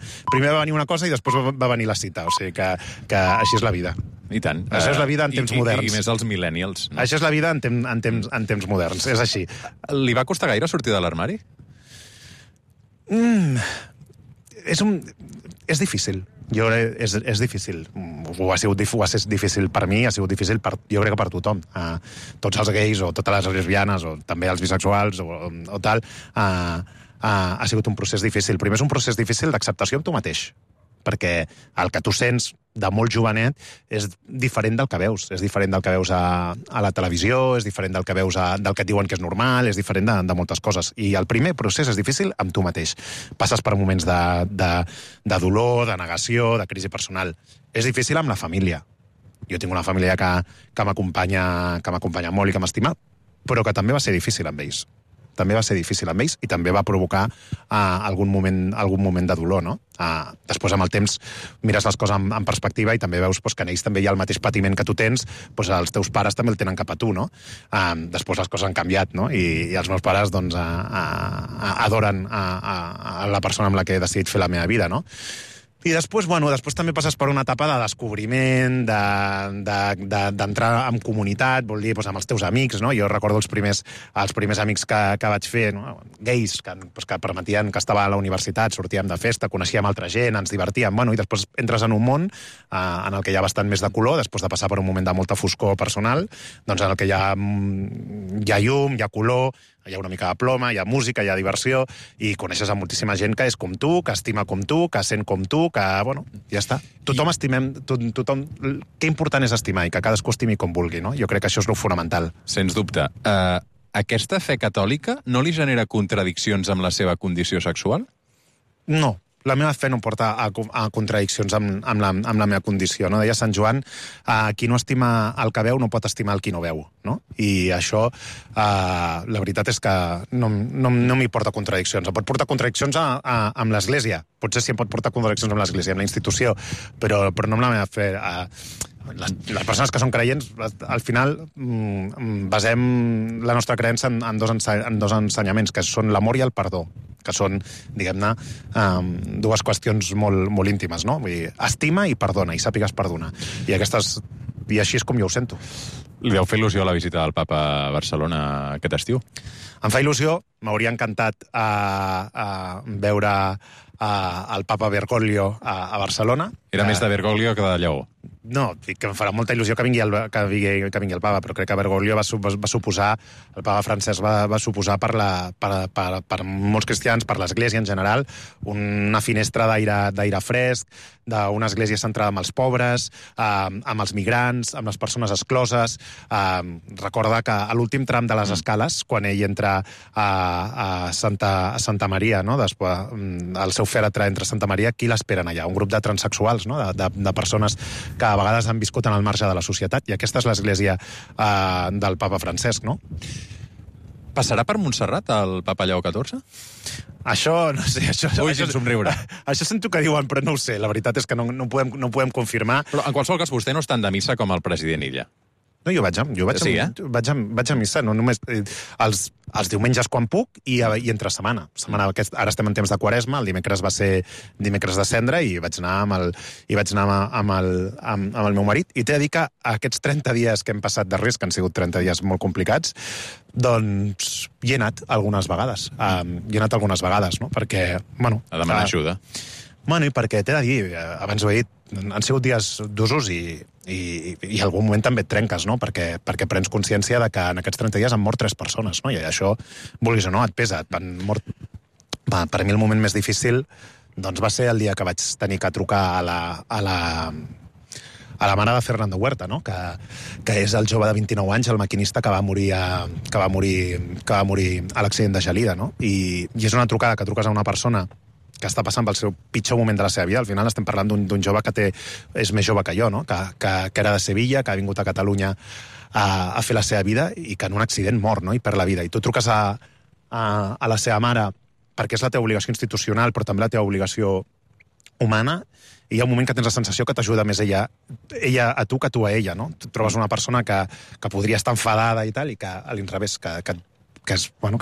venir una cosa i després va venir la cita. O sigui, que així és la vida. I tant. Això és la vida en temps moderns. I més els millennials. No? Això és la vida en temps moderns, és així. Li va costar gaire sortir de l'armari? És difícil. És difícil. Ho ha sigut difícil per mi, ha sigut difícil jo crec que per tothom. Tots els gais o totes les lesbianes o també els bisexuals o tal, ha sigut un procés difícil. Primer és un procés difícil d'acceptació amb tu mateix, perquè el que tu sents de molt jovenet és diferent del que veus. És diferent del que veus a la televisió, és diferent del que veus del que et diuen que és normal, és diferent de moltes coses. I el primer procés és difícil amb tu mateix. Passes per moments de dolor, de negació, de crisi personal. És difícil amb la família. Jo tinc una família que m'acompanya molt i que m'estima, però que també va ser difícil amb ells. També va ser difícil amb ells i també va provocar algun moment de dolor, no? Després, amb el temps, mires les coses en perspectiva i també veus que en ells també hi ha el mateix patiment que tu tens, els teus pares també el tenen cap a tu, no? Després les coses han canviat, no? I els meus pares, doncs, adoren a la persona amb la que he decidit fer la meva vida, no? I després també passes per una etapa de descobriment, d'entrar en comunitat, vol dir, amb els teus amics, no? Jo recordo els primers amics que vaig fer, no? Gais, que permetien que estava a la universitat, sortíem de festa, coneixíem altra gent, ens divertíem, i després entres en un món en el que hi ha bastant més de color, després de passar per un moment de molta foscor personal, doncs en el que hi ha llum, hi ha color, hi ha una mica de ploma, hi ha música, hi ha diversió, i coneixes a moltíssima gent que és com tu, que estima com tu, que sent com tu, que, ja està. Tothom estimem, què important és estimar i que cadascú estimi com vulgui, no? Jo crec que això és lo fonamental. Sens dubte. Aquesta fe catòlica no li genera contradiccions amb la seva condició sexual? No. La meva fe no porta a contradiccions amb la meva condició, no? Deia Sant Joan, qui no estima el que veu no pot estimar el qui no veu, no? I això, la veritat és que no m'hi porta contradiccions. Em pot portar contradiccions amb l'Església. Potser sí em pot portar contradiccions amb l'Església, amb la institució, però no amb la meva fe. Les persones que són creients, al final, basem la nostra creença en dos ensenyaments, que són l'amor i el perdó, que són, diguem-ne, dues qüestions molt íntimes, no? Vull dir, estima i perdona, i sàpigues perdonar. I així és com jo ho sento. Li deu fer il·lusió la visita del papa a Barcelona aquest estiu? Em fa il·lusió, m'hauria encantat veure el papa Bergoglio a Barcelona. Era més de Bergoglio que de Lleó. No, dic que em farà molta il·lusió que vingui el papa, però crec que Bergoglio va suposar, el papa Francesc va suposar per molts cristians, per l'Església en general, una finestra d'aire fresc, d'una església centrada en els pobres, amb els migrants, amb les persones excloses. Recorda que a l'últim tram de les escales, quan ell entra a Santa Maria, no? Després, el seu fèretre entre Santa Maria, qui l'esperen allà? Un grup de transsexuals, no? De persones que a vegades han viscut en el marge de la societat, i aquesta és l'església del papa Francesc, no? Passarà per Montserrat el papa Lleó XIV? Això, no sé... Ui, sin somriure. Això sento que diuen, però no ho sé. La veritat és que no podem confirmar. Però en qualsevol cas, vostè no està de missa com el president Illa. No, jo vaig a missa, no només els diumenges quan puc i entre setmana. Ara estem en temps de Quaresma, el dimecres va ser dimecres de Cendra i vaig anar amb el meu marit. I t'he de dir que aquests 30 dies que hem passat de risc, que han sigut 30 dies molt complicats, doncs hi he anat algunes vegades. No? Perquè, a demanar ajuda. Bueno, i perquè t'he de dir, abans ho he dit, han sigut dies d'usos i en algun moment també et trenques, no? Perquè prens consciència de que en aquests 30 dies han mort 3 persones, no? I això, vulguis o no, et pesa. Han mort... Per a mi el moment més difícil doncs va ser el dia que vaig tenir que trucar a la mare de Fernando Huerta, no? Que és el jove de 29 anys, el maquinista que va morir a l'accident de Gelida, no? I és una trucada que truques a una persona que està passant pel seu pitjor moment de la seva vida. Al final estem parlant d'un jove que és més jove que jo, no? Que era de Sevilla, que ha vingut a Catalunya a fer la seva vida i que en un accident mor, no? I perd la vida. I tu truques a la seva mare perquè és la teva obligació institucional, però també la teva obligació humana, i hi ha un moment que tens la sensació que t'ajuda més ella a tu que tu a ella, no? Tu trobes una persona que podria estar enfadada i tal, i que a l'inrevés, que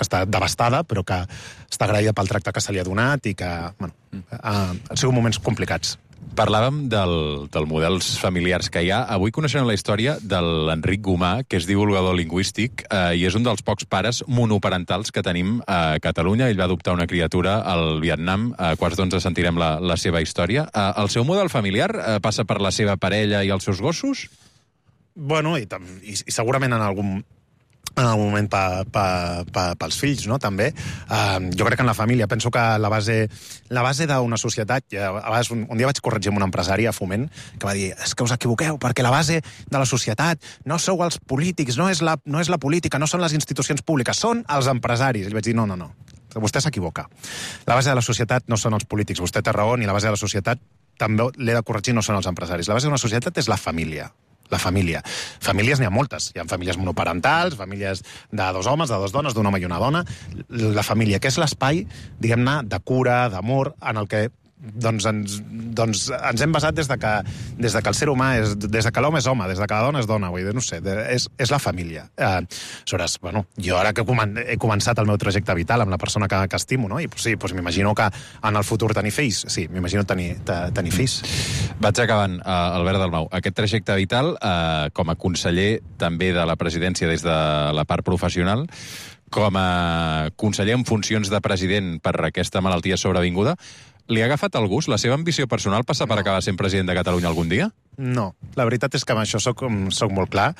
està devastada, però que està agraïda pel tracte que se li ha donat i que, han sigut moments complicats. Parlàvem del models familiars que hi ha. Avui coneixem la història de l'Enric Gomà, que és divulgador lingüístic i és un dels pocs pares monoparentals que tenim a Catalunya. Ell va adoptar una criatura al Vietnam. A quarts d'11 sentirem la seva història. El seu model familiar passa per la seva parella i els seus gossos? Bueno, i segurament en algun moment pels fills, no?, també. Jo crec que en la família, penso que la base d'una societat, a vegades un dia vaig corregir amb un empresari a Foment, que va dir, és que us equivoqueu, perquè la base de la societat no sou els polítics, no és la política, no són les institucions públiques, són els empresaris. I li vaig dir, no, vostè s'equivoca. La base de la societat no són els polítics, vostè té raó, ni la base de la societat, també l'he de corregir, no són els empresaris. La base d'una societat és la família. La família. Famílies n'hi ha moltes. Hi ha famílies monoparentals, famílies de 2 homes, de 2 dones, d'un home i una dona. La família, que és l'espai, diguem-ne, de cura, d'amor, en el que ens hem basat des de que el ser humà des de que l'home és home, des de que la dona és dona, vull dir, no sé, és la família. Aleshores, jo ara que he començat el meu trajecte vital amb la persona que estimo, no? I sí, m'imagino que en el futur tenir fills, sí, m'imagino tenir fills. Vaig acabant, Albert Dalmau. Aquest trajecte vital, com a conseller també de la presidència des de la part professional, com a conseller en funcions de president per aquesta malaltia sobrevinguda, li ha agafat el gust? La seva ambició personal passa per acabar sent president de Catalunya algun dia? No, la veritat és que amb això soc molt clar.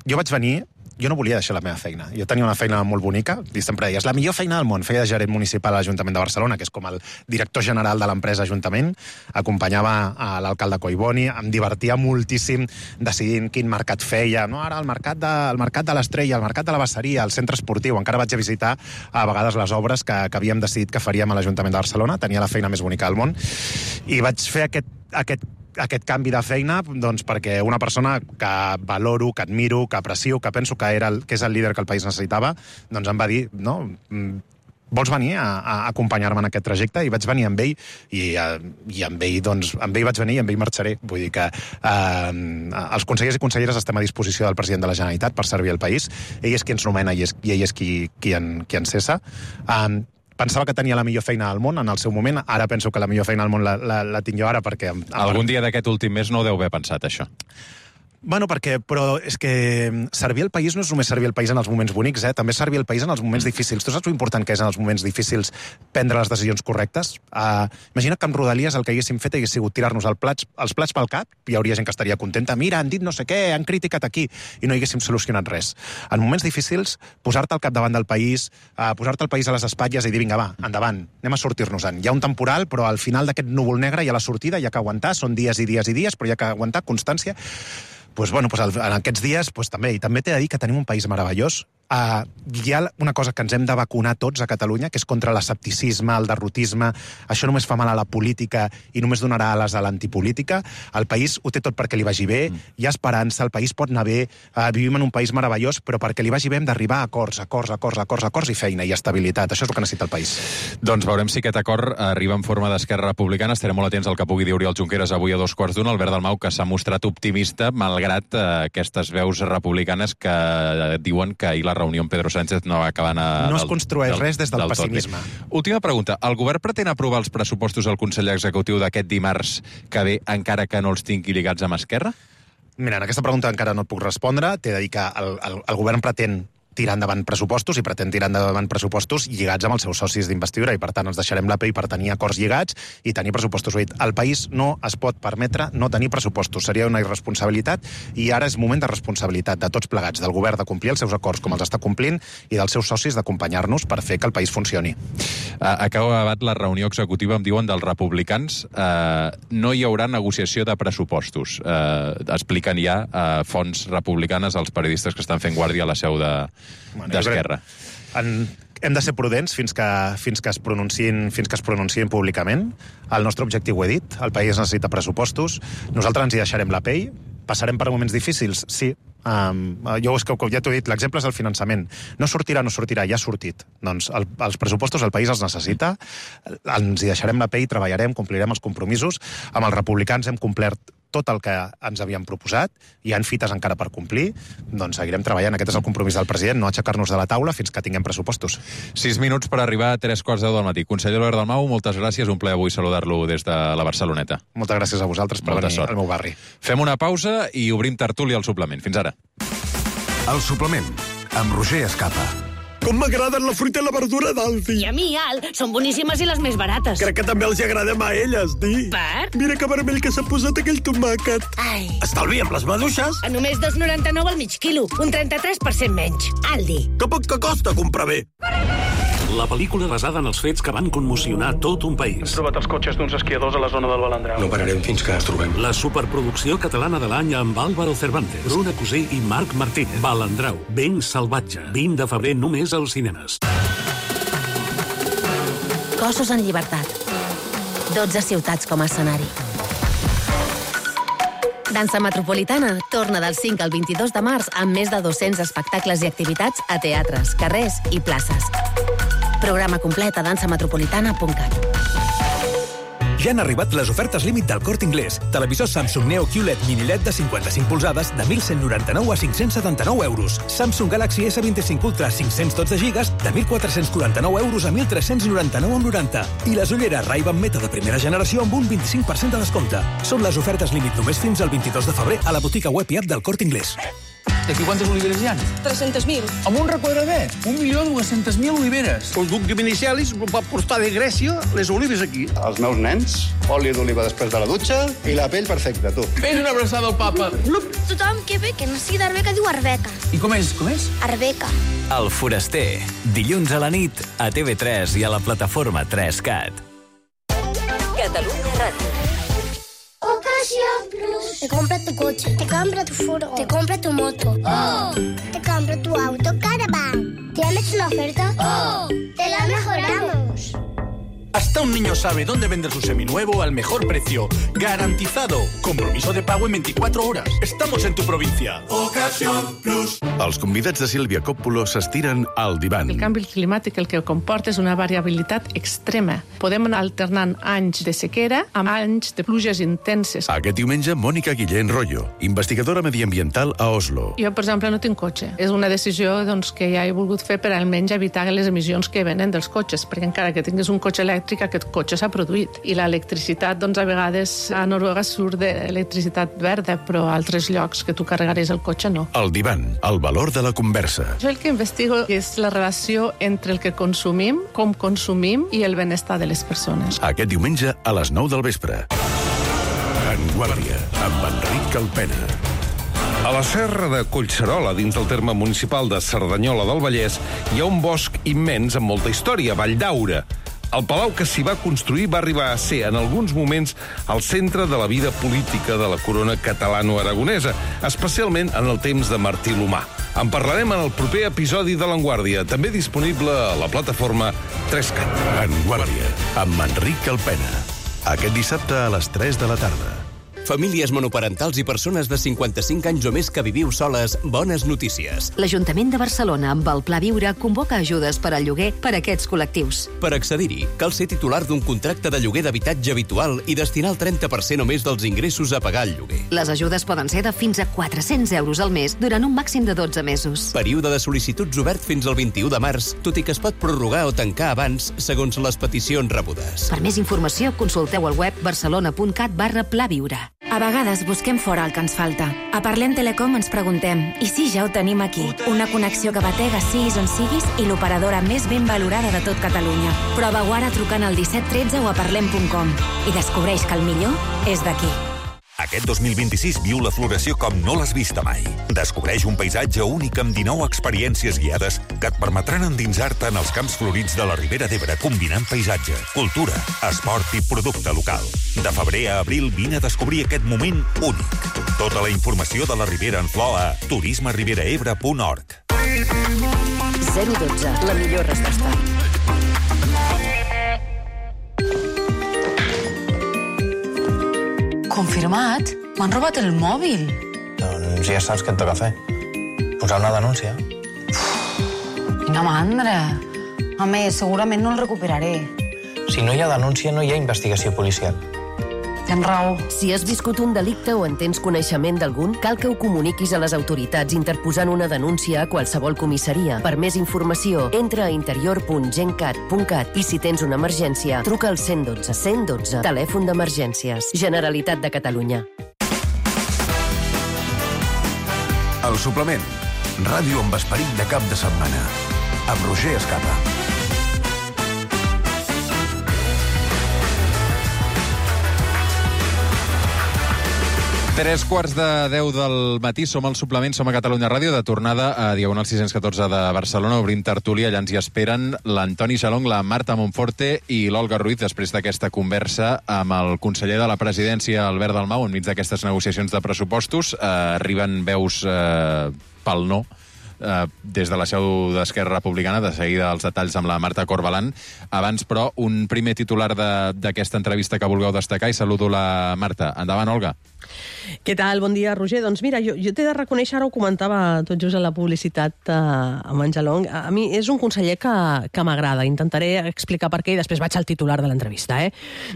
Jo vaig venir... Jo no volia deixar la meva feina. Jo tenia una feina molt bonica, i sempre deia, és la millor feina del món. Feia de gerent municipal a l'Ajuntament de Barcelona, que és com el director general de l'empresa Ajuntament, acompanyava a l'alcalde Collboni, em divertia moltíssim decidint quin mercat feia. No, ara el mercat de l'Estrella, el mercat de la Basseria, el centre esportiu. Encara vaig a visitar a vegades les obres que havíem decidit que faríem a l'Ajuntament de Barcelona. Tenia la feina més bonica del món. I vaig fer aquest canvi de feina doncs perquè una persona que valoro, que admiro, que aprecio, que penso que és el líder que el país necessitava, doncs em va dir, no, vols venir a acompanyar-me en aquest trajecte? I vaig venir amb ell, i amb ell vaig venir i amb ell marxaré. Vull dir que els consellers i conselleres estem a disposició del president de la Generalitat per servir el país. Ell és qui ens nomena i ell és qui ens cessa. Pensava que tenia la millor feina al món en el seu moment, ara penso que la millor feina al món la tinc jo ara perquè... Algun dia d'aquest últim mes no ho deu haver pensat, això. Bueno, però és que servir el país no és només servir el país en els moments bonics, també servir el país en els moments difícils. Tu saps l'important que és en els moments difícils prendre les decisions correctes? Imagina que amb Rodalies el que haguéssim fet hagués sigut tirar-nos els plats pel cap, hi hauria gent que estaria contenta, mira, han dit no sé què, han criticat aquí, i no haguéssim solucionat res. En moments difícils, posar-te al capdavant del país, posar-te el país a les espatlles i dir, vinga, va, endavant, anem a sortir-nos-en. Hi ha un temporal, però al final d'aquest núvol negre hi ha la sortida, hi ha que aguantar, són dies i dies i dies, però hi ha que aguantar constància. En aquests dies també. I també t'he de dir que tenim un país meravellós. Hi ha una cosa que ens hem de vacunar tots a Catalunya, que és contra l'escepticisme, el derrotisme. Això només fa mal a la política i només donarà ales a l'antipolítica. El país ho té tot perquè li vagi bé, hi ha esperança, el país pot anar bé, vivim en un país meravellós, però perquè li vagi bé hem d'arribar a acords i feina i estabilitat. Això és el que necessita el país. Doncs veurem si aquest acord arriba en forma d'Esquerra Republicana. Estarem molt atents al que pugui dir Oriol Junqueras avui a 2:15. Albert Dalmau, que s'ha mostrat optimista, malgrat aquestes veus republicanes que diuen que ahir la reunió amb Pedro Sánchez no va acabar... No es construeix res des del pessimisme. Última pregunta. El govern pretén aprovar els pressupostos del Consell Executiu d'aquest dimarts que ve, encara que no els tingui lligats amb Esquerra? Mira, en aquesta pregunta encara no et puc respondre. T'he de dir que el govern pretén tirar endavant pressupostos i pretén tirar endavant pressupostos lligats amb els seus socis d'investidura i, per tant, ens deixarem la pell per tenir acords lligats i tenir pressupostos. El país no es pot permetre no tenir pressupostos. Seria una irresponsabilitat i ara és moment de responsabilitat de tots plegats, del govern de complir els seus acords com els està complint i dels seus socis d'acompanyar-nos per fer que el país funcioni. Acaba acabat la reunió executiva, em diuen, dels republicans. No hi haurà negociació de pressupostos. Expliquen ja fonts republicanes als periodistes que estan fent guàrdia a la seu d'Esquerra. Hem de ser prudents fins que es pronunciïn públicament. El nostre objectiu ho he dit, el país necessita pressupostos, nosaltres ens hi deixarem la pell, passarem per moments difícils, sí. Jo és que ja t'ho he dit, l'exemple és el finançament. No sortirà, ja ha sortit. Doncs els pressupostos el país els necessita, ens hi deixarem la pell, treballarem, complirem els compromisos. Amb els republicans hem complert tot el que ens havíem proposat, hi ha fites encara per complir, doncs seguirem treballant. Aquest és el compromís del president, no aixecar-nos de la taula fins que tinguem pressupostos. 6 minuts per arribar a 3:15 del matí. Conseller Albert Dalmau, moltes gràcies, un plaer avui saludar-lo des de la Barceloneta. Moltes gràcies a vosaltres per venir al meu barri. Fem una pausa i obrim tertúlia al suplement. Fins ara. El suplement, amb Roger Escapa. Com m'agraden la fruita i la verdura d'Aldi. I a mi, Al, són boníssimes i les més barates. Crec que també els agradem a elles, Di. Per? Mira que vermell que s'ha posat aquell tomàquet. Ai. Estalvi amb les maduixes. A només 2,99 al mig quilo, un 33% menys. Aldi. Que poc que costa comprar bé. La pel·lícula basada en els fets que van commocionar tot un país. Hem trobat els cotxes d'uns esquiadors a la zona del Balandrau. No pararem fins que els trobem. La superproducció catalana de l'any amb Álvaro Cervantes, Bruna Cusí i Marc Martínez. Balandrau, ben salvatge. 20 de febrer només als cinemes. Cossos en llibertat. 12 ciutats com a escenari. Dansa Metropolitana torna del 5 al 22 de març amb més de 200 espectacles i activitats a teatres, carrers i places. Programa complet a dansametropolitana.cat. Ja han arribat les ofertes límit del Corte Inglés. Televisor Samsung Neo QLED Mini LED de 55 polzades de 1.199 a 579 euros. Samsung Galaxy S25 Ultra 512 GB de 1.449 euros a 1.399,90. I les ulleres Ray-Ban Meta de primera generació amb un 25% de descompte. Són les ofertes límit només fins al 22 de febrer a la botiga web i app del Corte Inglés. D'aquí quantes oliveres hi ha? 300.000. Amb un requadradet, 1.200.000 oliveres. El duc de Vinicelis va portar de Grècia les olives aquí. Els meus nens, oli d'oliva després de la dutxa i la pell perfecta, tu. Fes una abraçada al papa. Tothom que ve, que no sigui d'Arbeca, diu Arbeca. I com és? Arbeca. El Foraster, dilluns a la nit, a TV3 i a la plataforma 3CAT. Catalunya Ràdio. Ocasión Plus. Te compra tu coche, te compra tu furo, te compra tu moto. ¡Oh! Te compra tu auto Caravan. ¿Tienes una oferta? ¡Oh! ¡Te la mejoramos! Hasta un niño sabe dónde vender su seminuevo al mejor precio. Garantizado. Compromiso de pago en 24 horas. Estamos en tu provincia. Ocasión Plus. Els convidats de Sílvia Coppola s'estiren al divan. El canvi climàtic el que comporta és una variabilitat extrema. Podem anar alternant anys de sequera amb anys de pluges intenses. Aquest diumenge, Mònica Guillén Rollo, investigadora mediambiental a Oslo. Jo, per exemple, no tinc cotxe. És una decisió que ja he volgut fer per almenys evitar les emissions que venen dels cotxes, perquè encara que tinguis un cotxe elèctric, aquest cotxe s'ha produït. I l'electricitat, a vegades a Noruega surt d'electricitat verda, però a altres llocs que tu carregaries el cotxe no. El divan, el valor de la conversa. Jo el que investigo és la relació entre el que consumim, com consumim i el benestar de les persones. Aquest diumenge a les 9 del vespre. En Guàrdia, amb Enric Calpena. A la serra de Collserola, dins del terme municipal de Cerdanyola del Vallès, hi ha un bosc immens amb molta història, Valldaura. El palau que s'hi va construir va arribar a ser, en alguns moments, el centre de la vida política de la corona catalano-aragonesa, especialment en el temps de Martí l'Humà. En parlarem en el proper episodi de l'Enguàrdia, també disponible a la plataforma 3CAT. En Guàrdia, amb Enric Calpena. Aquest dissabte a les 3 de la tarda. Famílies monoparentals i persones de 55 anys o més que viviu soles, bones notícies. L'Ajuntament de Barcelona, amb el Pla Viure, convoca ajudes per al lloguer per a aquests col·lectius. Per accedir-hi, cal ser titular d'un contracte de lloguer d'habitatge habitual i destinar el 30% o més dels ingressos a pagar el lloguer. Les ajudes poden ser de fins a 400 euros al mes durant un màxim de 12 mesos. Període de sol·licituds obert fins al 21 de març, tot i que es pot prorrogar o tancar abans, segons les peticions rebudes. Per més informació, consulteu al web barcelona.cat/plaviure. A vegades busquem fora el que ens falta. A Parlem Telecom ens preguntem, i si ja ho tenim aquí? Una connexió que batega siguis on siguis i l'operadora més ben valorada de tot Catalunya. Prova-ho ara trucant al 1713 o a parlem.com i descobreix que el millor és d'aquí. Aquest 2026 viu la floració com no l'has vista mai. Descobreix un paisatge únic amb 19 experiències guiades que et permetran endinsar-te en els camps florits de la Ribera d'Ebre, combinant paisatge, cultura, esport i producte local. De febrer a abril vine a descobrir aquest moment únic. Tota la informació de la Ribera en flor a turismeriberaebre.org. 012, la millor resposta. Confirmat? M'han robat el mòbil. Doncs ja saps què et toca fer. Posar una denúncia. Quina mandra. A més, segurament no el recuperaré. Si no hi ha denúncia, no hi ha investigació policial. Tens raó. Si has viscut un delicte o en tens coneixement d'algun, cal que ho comuniquis a les autoritats interposant una denúncia a qualsevol comissaria. Per més informació, entra a interior.gencat.cat i si tens una emergència, truca al 112. 112, telèfon d'emergències. Generalitat de Catalunya. El suplement. Ràdio amb esperit de cap de setmana. Amb Roger Escapa. Tres quarts de 10 del matí, som al suplement, som a Catalunya Ràdio, de tornada a Diagonal 614 de Barcelona. Obrim tertúlia, allà ens hi esperen l'Antoni Xalong, la Marta Monforte i l'Olga Ruiz, després d'aquesta conversa amb el conseller de la Presidència, Albert Dalmau, enmig d'aquestes negociacions de pressupostos. Arriben veus pel no, des de la seu d'Esquerra Republicana, de seguida els detalls amb la Marta Corbalan. Abans, però, un primer titular d'aquesta entrevista que vulgueu destacar i saludo la Marta. Endavant, Olga. Què tal? Bon dia, Roger. Doncs mira, jo t'he de reconèixer, ara ho comentava tot just a la publicitat amb en Xalong, a mi és un conseller que m'agrada. Intentaré explicar per què i després vaig al titular de l'entrevista.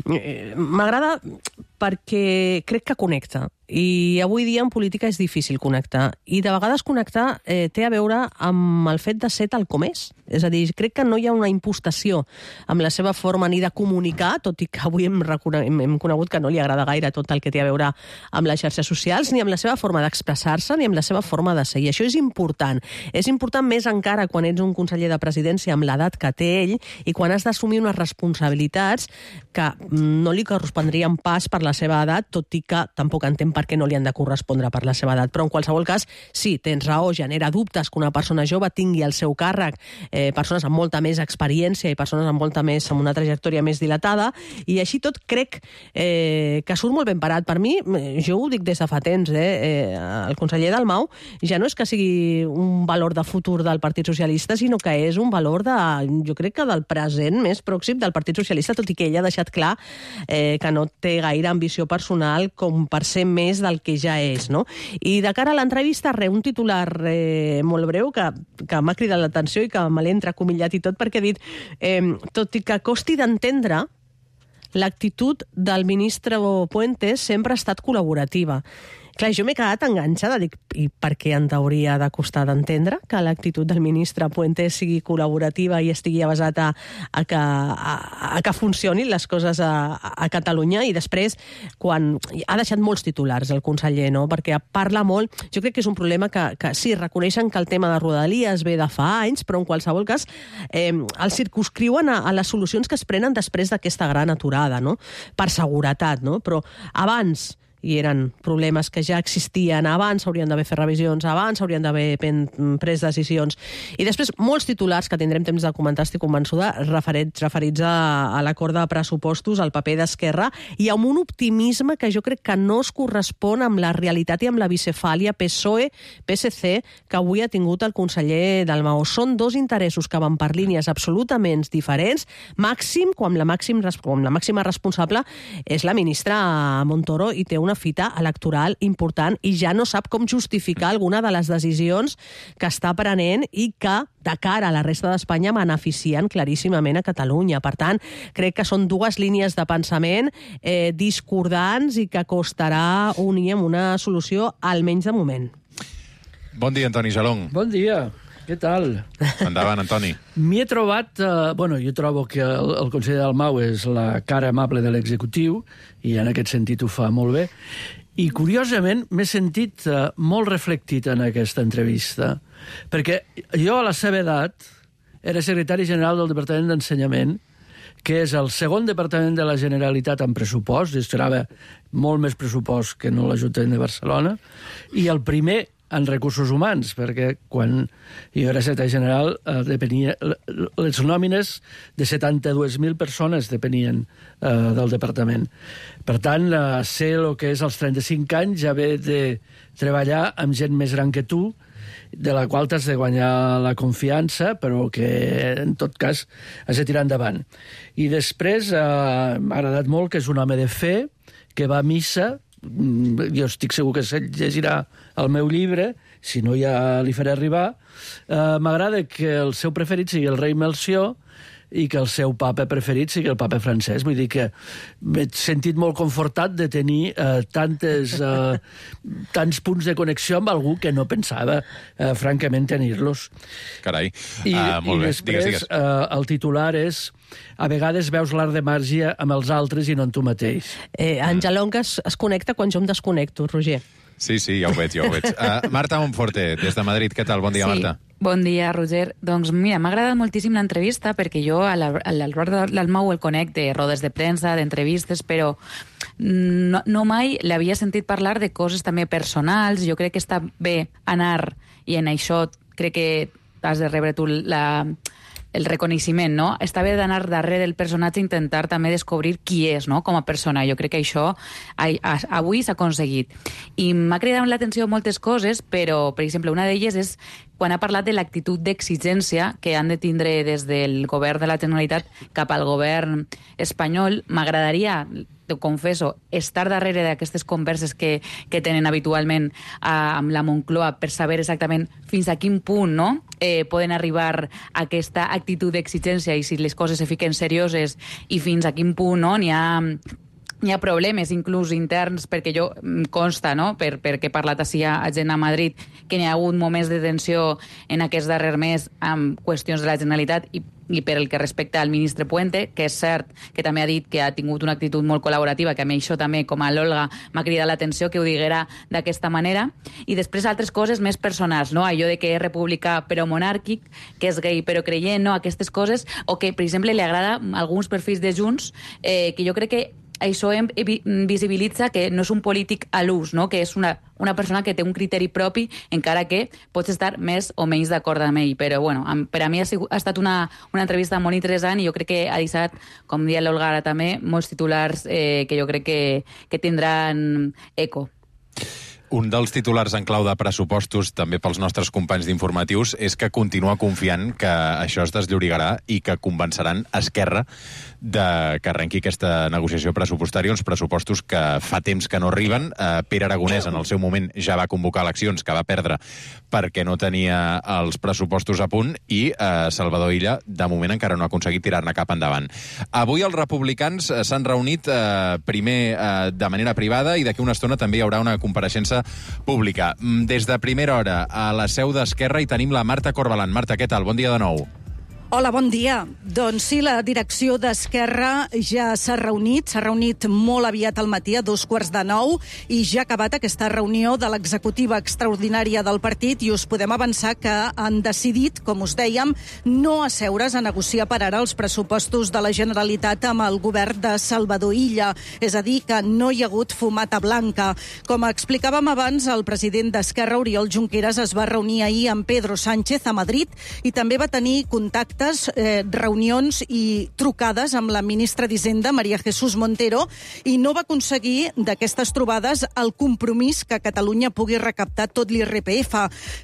M'agrada perquè crec que connecta. I avui dia en política és difícil connectar. I de vegades connectar té a veure amb el fet de ser tal com és. És a dir, crec que no hi ha una impostació amb la seva forma ni de comunicar, tot i que avui hem conegut que no li agrada gaire tot el que té a veure amb les xarxes socials, ni amb la seva forma d'expressar-se, ni amb la seva forma de ser. I això és important. És important més encara quan ets un conseller de presidència amb l'edat que té ell i quan has d'assumir unes responsabilitats que no li correspondrien pas per la seva edat, tot i que tampoc entenc per què no li han de correspondre per la seva edat. Però en qualsevol cas, sí, tens raó, genera dubtes que una persona jove tingui al seu càrrec persones amb molta més experiència i persones amb una trajectòria més dilatada, i així tot crec que surt molt ben parat. Per mi, jo ho dic des de fa temps, el conseller Dalmau ja no és que sigui un valor de futur del Partit Socialista, sinó que és un valor jo crec que del present més pròxim del Partit Socialista, tot i que ell ha deixat clar que no té gaire ambició personal com per ser més del que ja és, no? I de cara a l'entrevista, un titular molt breu que m'ha cridat l'atenció i que me l'he entrecomillat i tot, perquè he dit, tot i que costi d'entendre, l'actitud del ministre Puentes sempre ha estat col·laborativa. Clar, jo m'he quedat enganxada, dic, i per què en hauria de costar d'entendre que l'actitud del ministre Puentes sigui col·laborativa i estigui basat a que funcionin les coses a Catalunya? I després, quan ha deixat molts titulars el conseller, no? Perquè parla molt, jo crec que és un problema que sí, reconeixen que el tema de Rodalies ve de fa anys, però en qualsevol cas el circumscriuen a les solucions que es prenen després d'aquesta gran aturada, no? Per seguretat, no? Però abans i eren problemes que ja existien abans, s'haurien d'haver fet revisions abans, s'haurien d'haver pres decisions. I després, molts titulars que tindrem temps de comentar, estic convençuda, referits a l'acord de pressupostos, al paper d'Esquerra, i amb un optimisme que jo crec que no es correspon amb la realitat i amb la bicefàlia PSOE-PSC que avui ha tingut el conseller Dalmau. Són dos interessos que van per línies absolutament diferents, màxim quan la màxima responsable és la ministra Montoro i té una fita electoral important i ja no sap com justificar alguna de les decisions que està prenent i que, de cara a la resta d'Espanya, beneficien claríssimament a Catalunya. Per tant, crec que són dues línies de pensament discordants i que costarà unir amb una solució, almenys de moment. Bon dia, Antoni Xalong. Bon dia. Què tal? Endavant, Antoni. M'hi he trobat... jo trobo que el conseller Dalmau és la cara amable de l'executiu i en aquest sentit ho fa molt bé. I, curiosament, m'he sentit molt reflectit en aquesta entrevista, perquè jo, a la seva edat, era secretari general del Departament d'Ensenyament, que és el segon departament de la Generalitat en pressupost, gestionava molt més pressupost que no l'Ajuntament de Barcelona, i el primer en recursos humans, perquè quan jo era secretari general depenia, les nòmines de 72.000 persones depenien del departament. Per tant, sé el que és als 35 anys haver de treballar amb gent més gran que tu, de la qual t'has de guanyar la confiança, però que, en tot cas, has de tirar endavant. I després m'ha agradat molt que és un home de fe, que va a missa. Jo estic segur que se llegirà el meu llibre, si no ja li faré arribar. M'agrada que el seu preferit sigui el rei Melcior i que el seu papa preferit sigui el papa Francesc. Vull dir que m'he sentit molt confortat de tenir tants punts de connexió amb algú que no pensava, francament, tenir-los. Carai. Molt bé. Després, el titular és: a vegades veus l'art de màgia amb els altres i no en tu mateix. Angelong es connecta quan jo em desconnecto, Roger. Sí, ja ho veig. Marta Monforte, des de Madrid. Què tal? Bon dia, Marta. Bon dia, Roger. Doncs mira, m'ha agradat moltíssim l'entrevista perquè jo a l'Albert Dalmau el conec de rodes de premsa, d'entrevistes, però no mai l'havia sentit parlar de coses també personals. Jo crec que està bé anar, i en això crec que has de rebre tu el reconeixement, no? Està bé d'anar darrere del personatge i intentar també descobrir qui és, no?, com a persona. Jo crec que això avui s'ha aconseguit. I m'ha cridat l'atenció moltes coses, però, per exemple, una d'elles és quan ha parlat de l'actitud d'exigència que han de tindre des del govern de la Generalitat cap al govern espanyol. M'agradaria, ho confesso, estar darrere d'aquestes converses que tenen habitualment amb la Moncloa per saber exactament fins a quin punt, no?, poden arribar a aquesta actitud d'exigència i si les coses se fiquen serioses i fins a quin punt, no?, n'hi ha problemes, inclús interns, perquè jo consta, no?, perquè he parlat així a gent a Madrid, que n'hi ha hagut moments de tensió en aquest darrer mes amb qüestions de la Generalitat i per el que respecta al ministre Puente, que és cert que també ha dit que ha tingut una actitud molt col·laborativa, que a mi això també, com a l'Olga, m'ha cridat l'atenció que ho diguera d'aquesta manera. I després altres coses més personals, no?, allò de que és republicà però monàrquic, que és gay però creient, no?, aquestes coses, o que, per exemple, li agrada alguns perfils de Junts, que jo crec que això visibilitza que no és un polític a l'ús, no?, que és una persona que té un criteri propi, encara que pots estar més o menys d'acord amb ell. Però, bueno, per a mi ha estat una entrevista molt interessant i jo crec que ha deixat, com dia l'Olga ara també, molts titulars que jo crec que tindran eco. Un dels titulars en clau de pressupostos, també pels nostres companys d'informatius, és que continua confiant que això es desllorigarà i que convenceran Esquerra que arrenqui aquesta negociació pressupostària, uns pressupostos que fa temps que no arriben. Pere Aragonès, en el seu moment, ja va convocar eleccions que va perdre perquè no tenia els pressupostos a punt i Salvador Illa, de moment, encara no ha aconseguit tirar-ne cap endavant. Avui els republicans s'han reunit primer de manera privada i d'aquí una estona també hi haurà una compareixença pública. Des de primera hora a la seu d'Esquerra hi tenim la Marta Corbalan. Marta, què tal? Bon dia de nou. Hola, bon dia. Doncs sí, la direcció d'Esquerra ja s'ha reunit molt aviat al matí, a 8:45, i ja ha acabat aquesta reunió de l'executiva extraordinària del partit i us podem avançar que han decidit, com us dèiem, no asseure's a negociar per ara els pressupostos de la Generalitat amb el govern de Salvador Illa, és a dir, que no hi ha hagut fumata blanca. Com explicàvem abans, el president d'Esquerra, Oriol Junqueras, es va reunir ahir amb Pedro Sánchez a Madrid i també va tenir contacte, reunions i trucades amb la ministra d'Hisenda, María Jesús Montero, i no va aconseguir d'aquestes trobades el compromís que Catalunya pugui recaptar tot l'IRPF.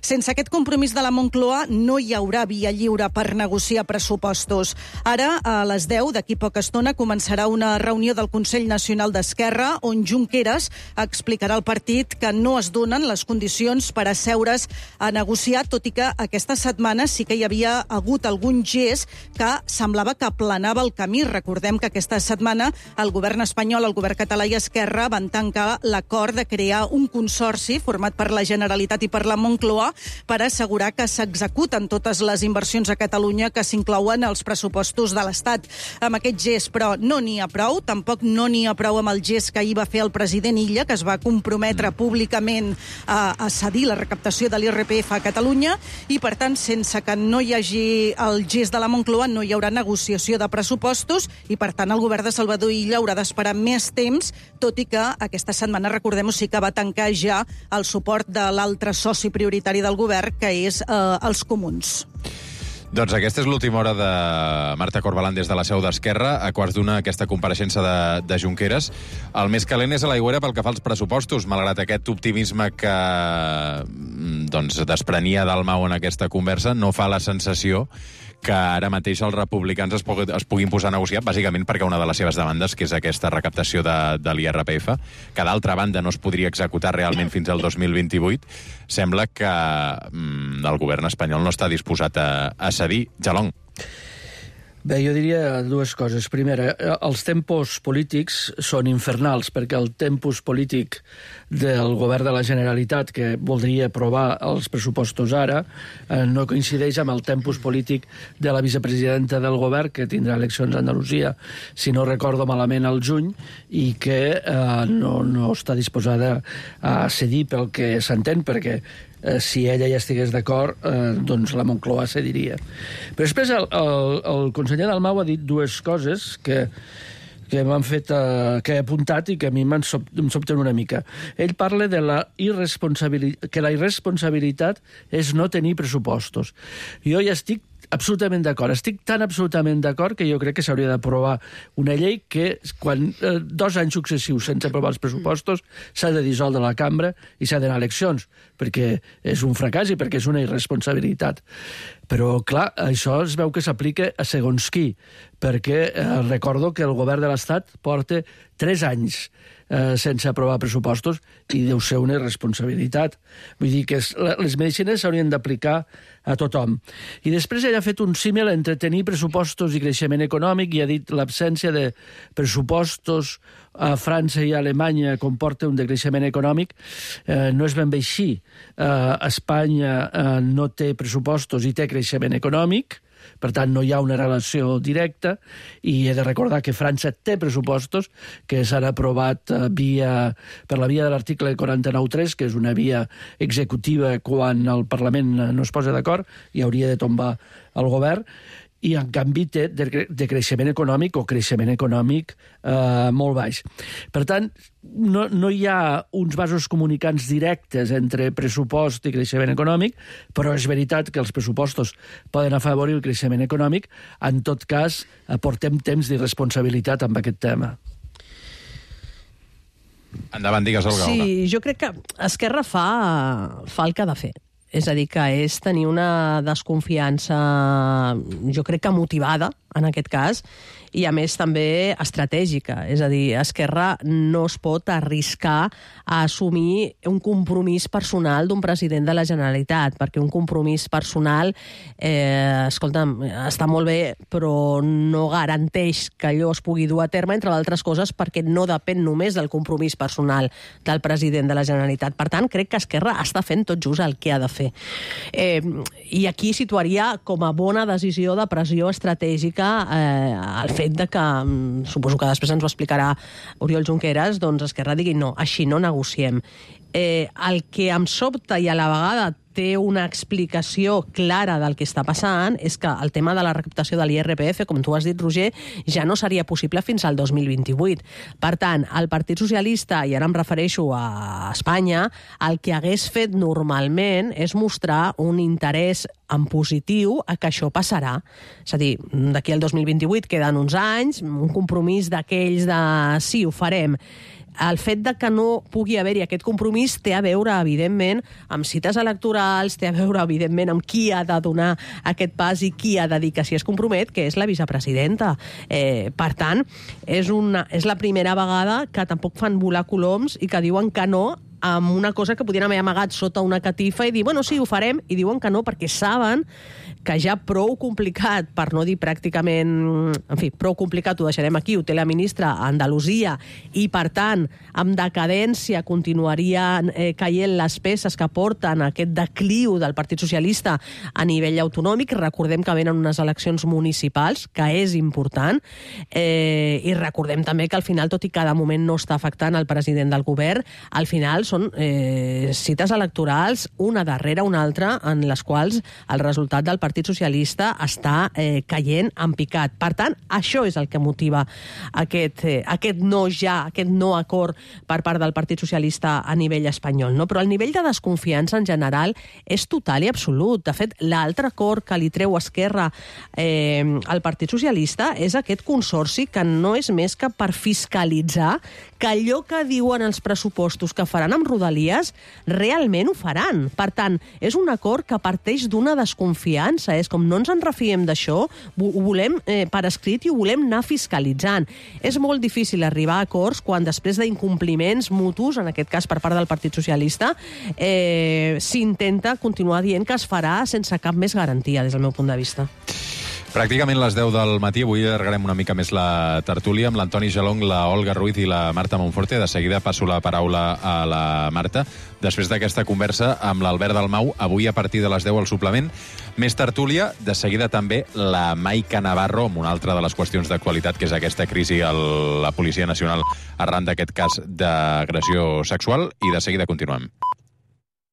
Sense aquest compromís de la Moncloa no hi haurà via lliure per negociar pressupostos. Ara, a les 10, d'aquí poca estona, començarà una reunió del Consell Nacional d'Esquerra on Junqueras explicarà al partit que no es donen les condicions per asseure's a negociar, tot i que aquesta setmana sí que hi havia hagut algun un gest que semblava que aplanava el camí. Recordem que aquesta setmana el govern espanyol, el govern català i Esquerra van tancar l'acord de crear un consorci format per la Generalitat i per la Moncloa per assegurar que s'executen totes les inversions a Catalunya que s'inclouen als pressupostos de l'Estat. Amb aquest gest, però, no n'hi ha prou. Tampoc no n'hi ha prou amb el gest que ahir va fer el president Illa, que es va comprometre públicament a cedir la recaptació de l'IRPF a Catalunya, i, per tant, sense que no hi hagi el gest de la Moncloa, no hi haurà negociació de pressupostos i, per tant, el govern de Salvador Illa haurà d'esperar més temps, tot i que aquesta setmana, recordem-ho, sí que va tancar ja el suport de l'altre soci prioritari del govern, que és els comuns. Doncs aquesta és l'última hora de Marta Corbalán des de la seu d'Esquerra. A quarts d'una, aquesta compareixença de Junqueras. El més calent és a l'aigüera pel que fa als pressupostos, malgrat aquest optimisme que desprenia Dalmau en aquesta conversa. No fa la sensació que ara mateix els republicans es puguin posar a negociar, bàsicament perquè una de les seves demandes, que és aquesta recaptació de l'IRPF, que d'altra banda no es podria executar realment fins al 2028, sembla que el govern espanyol no està disposat a cedir. Jalong. Bé, jo diria dues coses. Primera, els tempos polítics són infernals, perquè el tempus polític del govern de la Generalitat, que voldria aprovar els pressupostos ara, no coincideix amb el tempus polític de la vicepresidenta del govern, que tindrà eleccions a Andalusia, si no recordo malament, al juny, i que no està disposada a cedir pel que s'entén, perquè si ella ja estigués d'acord, doncs la Moncloa cediria. Però després el conseller Dalmau ha dit dues coses que m'han fet, que he apuntat i que a mi em sobten una mica. Ell parla de que la irresponsabilitat és no tenir pressupostos. Jo ja estic absolutament d'acord. Estic tan absolutament d'acord que jo crec que s'hauria d'aprovar una llei que quan 2 anys successius sense aprovar els pressupostos s'ha de dissoldre la cambra i s'ha d'anar a eleccions, perquè és un fracàs i perquè és una irresponsabilitat. Però, clar, això es veu que s'aplica a segons qui, perquè recordo que el govern de l'Estat porta 3 anys sense aprovar pressupostos i deu ser una irresponsabilitat. Vull dir que les medicines s'haurien d'aplicar a tothom. I després ell ha fet un símil entre tenir pressupostos i creixement econòmic i ha dit l'absència de pressupostos a França i a Alemanya comporta un decreixement econòmic. No és ben bé així. Espanya no té pressupostos i té creixement econòmic, per tant, no hi ha una relació directa, i he de recordar que França té pressupostos que s'han aprovat per la via de l'article 49.3, que és una via executiva quan el Parlament no es posa d'acord i hauria de tombar el govern, i en canvi té de creixement econòmic o creixement econòmic molt baix. Per tant, no hi ha uns vasos comunicants directes entre pressupost i creixement econòmic, però és veritat que els pressupostos poden afavorir el creixement econòmic. En tot cas, portem temps d'irresponsabilitat amb aquest tema. Endavant, digues, Olga. Sí, jo crec que Esquerra fa el que ha de fer. És a dir, que és tenir una desconfiança, jo crec que motivada, en aquest cas, i a més també estratègica. És a dir, Esquerra no es pot arriscar a assumir un compromís personal d'un president de la Generalitat, perquè un compromís personal, escolta'm, està molt bé, però no garanteix que allò es pugui dur a terme, entre d'altres coses, perquè no depèn només del compromís personal del president de la Generalitat. Per tant, crec que Esquerra està fent tot just el que ha de fer. I aquí situaria com a bona decisió de pressió estratègica el fet de que, suposo que després ens ho explicarà Oriol Junqueras, doncs Esquerra digui no, així no negociem. El que em sobta i a la vegada té una explicació clara del que està passant és que el tema de la recaptació de l'IRPF, com tu has dit, Roger, ja no seria possible fins al 2028. Per tant, el Partit Socialista, i ara em refereixo a Espanya, el que hagués fet normalment és mostrar un interès en positiu a que això passarà. És a dir, d'aquí al 2028 queden uns anys, un compromís d'aquells de sí, ho farem. El fet de que no pugui haver-hi aquest compromís té a veure, evidentment, amb cites electorals, té a veure, evidentment, amb qui ha de donar aquest pas i qui ha de dir que si es compromet, que és la vicepresidenta. Per tant, és la primera vegada que tampoc fan volar coloms i que diuen que no amb una cosa que podien haver amagat sota una catifa i dir, bueno, sí, ho farem, i diuen que no perquè saben que ja prou complicat, per no dir pràcticament... En fi, prou complicat, ho deixarem aquí, ho té la ministra a Andalusia, i, per tant, amb decadència continuarien caient les peces que porten aquest decliu del Partit Socialista a nivell autonòmic. Recordem que venen unes eleccions municipals, que és important, i recordem també que al final, tot i que de moment no està afectant el president del govern, al final són cites electorals una darrere una altra en les quals el resultat del Partit Socialista està caient en picat. Per tant, això és el que motiva aquest no acord per part del Partit Socialista a nivell espanyol. No? Però el nivell de desconfiança en general és total i absolut. De fet, l'altre acord que li treu Esquerra al Partit Socialista és aquest consorci que no és més que per fiscalitzar que allò que diuen els pressupostos que faran amb Rodalies realment ho faran. Per tant, és un acord que parteix d'una desconfiança. És com no ens en refiem d'això, ho volem per escrit i ho volem anar fiscalitzant. És molt difícil arribar a acords quan després d'incompliments mutus, en aquest cas per part del Partit Socialista, s'intenta continuar dient que es farà sense cap més garantia, des del meu punt de vista. Pràcticament les 10 del matí. Avui allargarem una mica més la tertúlia amb l'Antoni Gelong, la Olga Ruiz i la Marta Monforte. De seguida passo la paraula a la Marta. Després d'aquesta conversa amb l'Albert Dalmau, avui a partir de les 10 al suplement, més tertúlia. De seguida també la Maica Navarro, amb una altra de les qüestions d'actualitat, que és aquesta crisi a la Policia Nacional arran d'aquest cas d'agressió sexual. I de seguida continuem.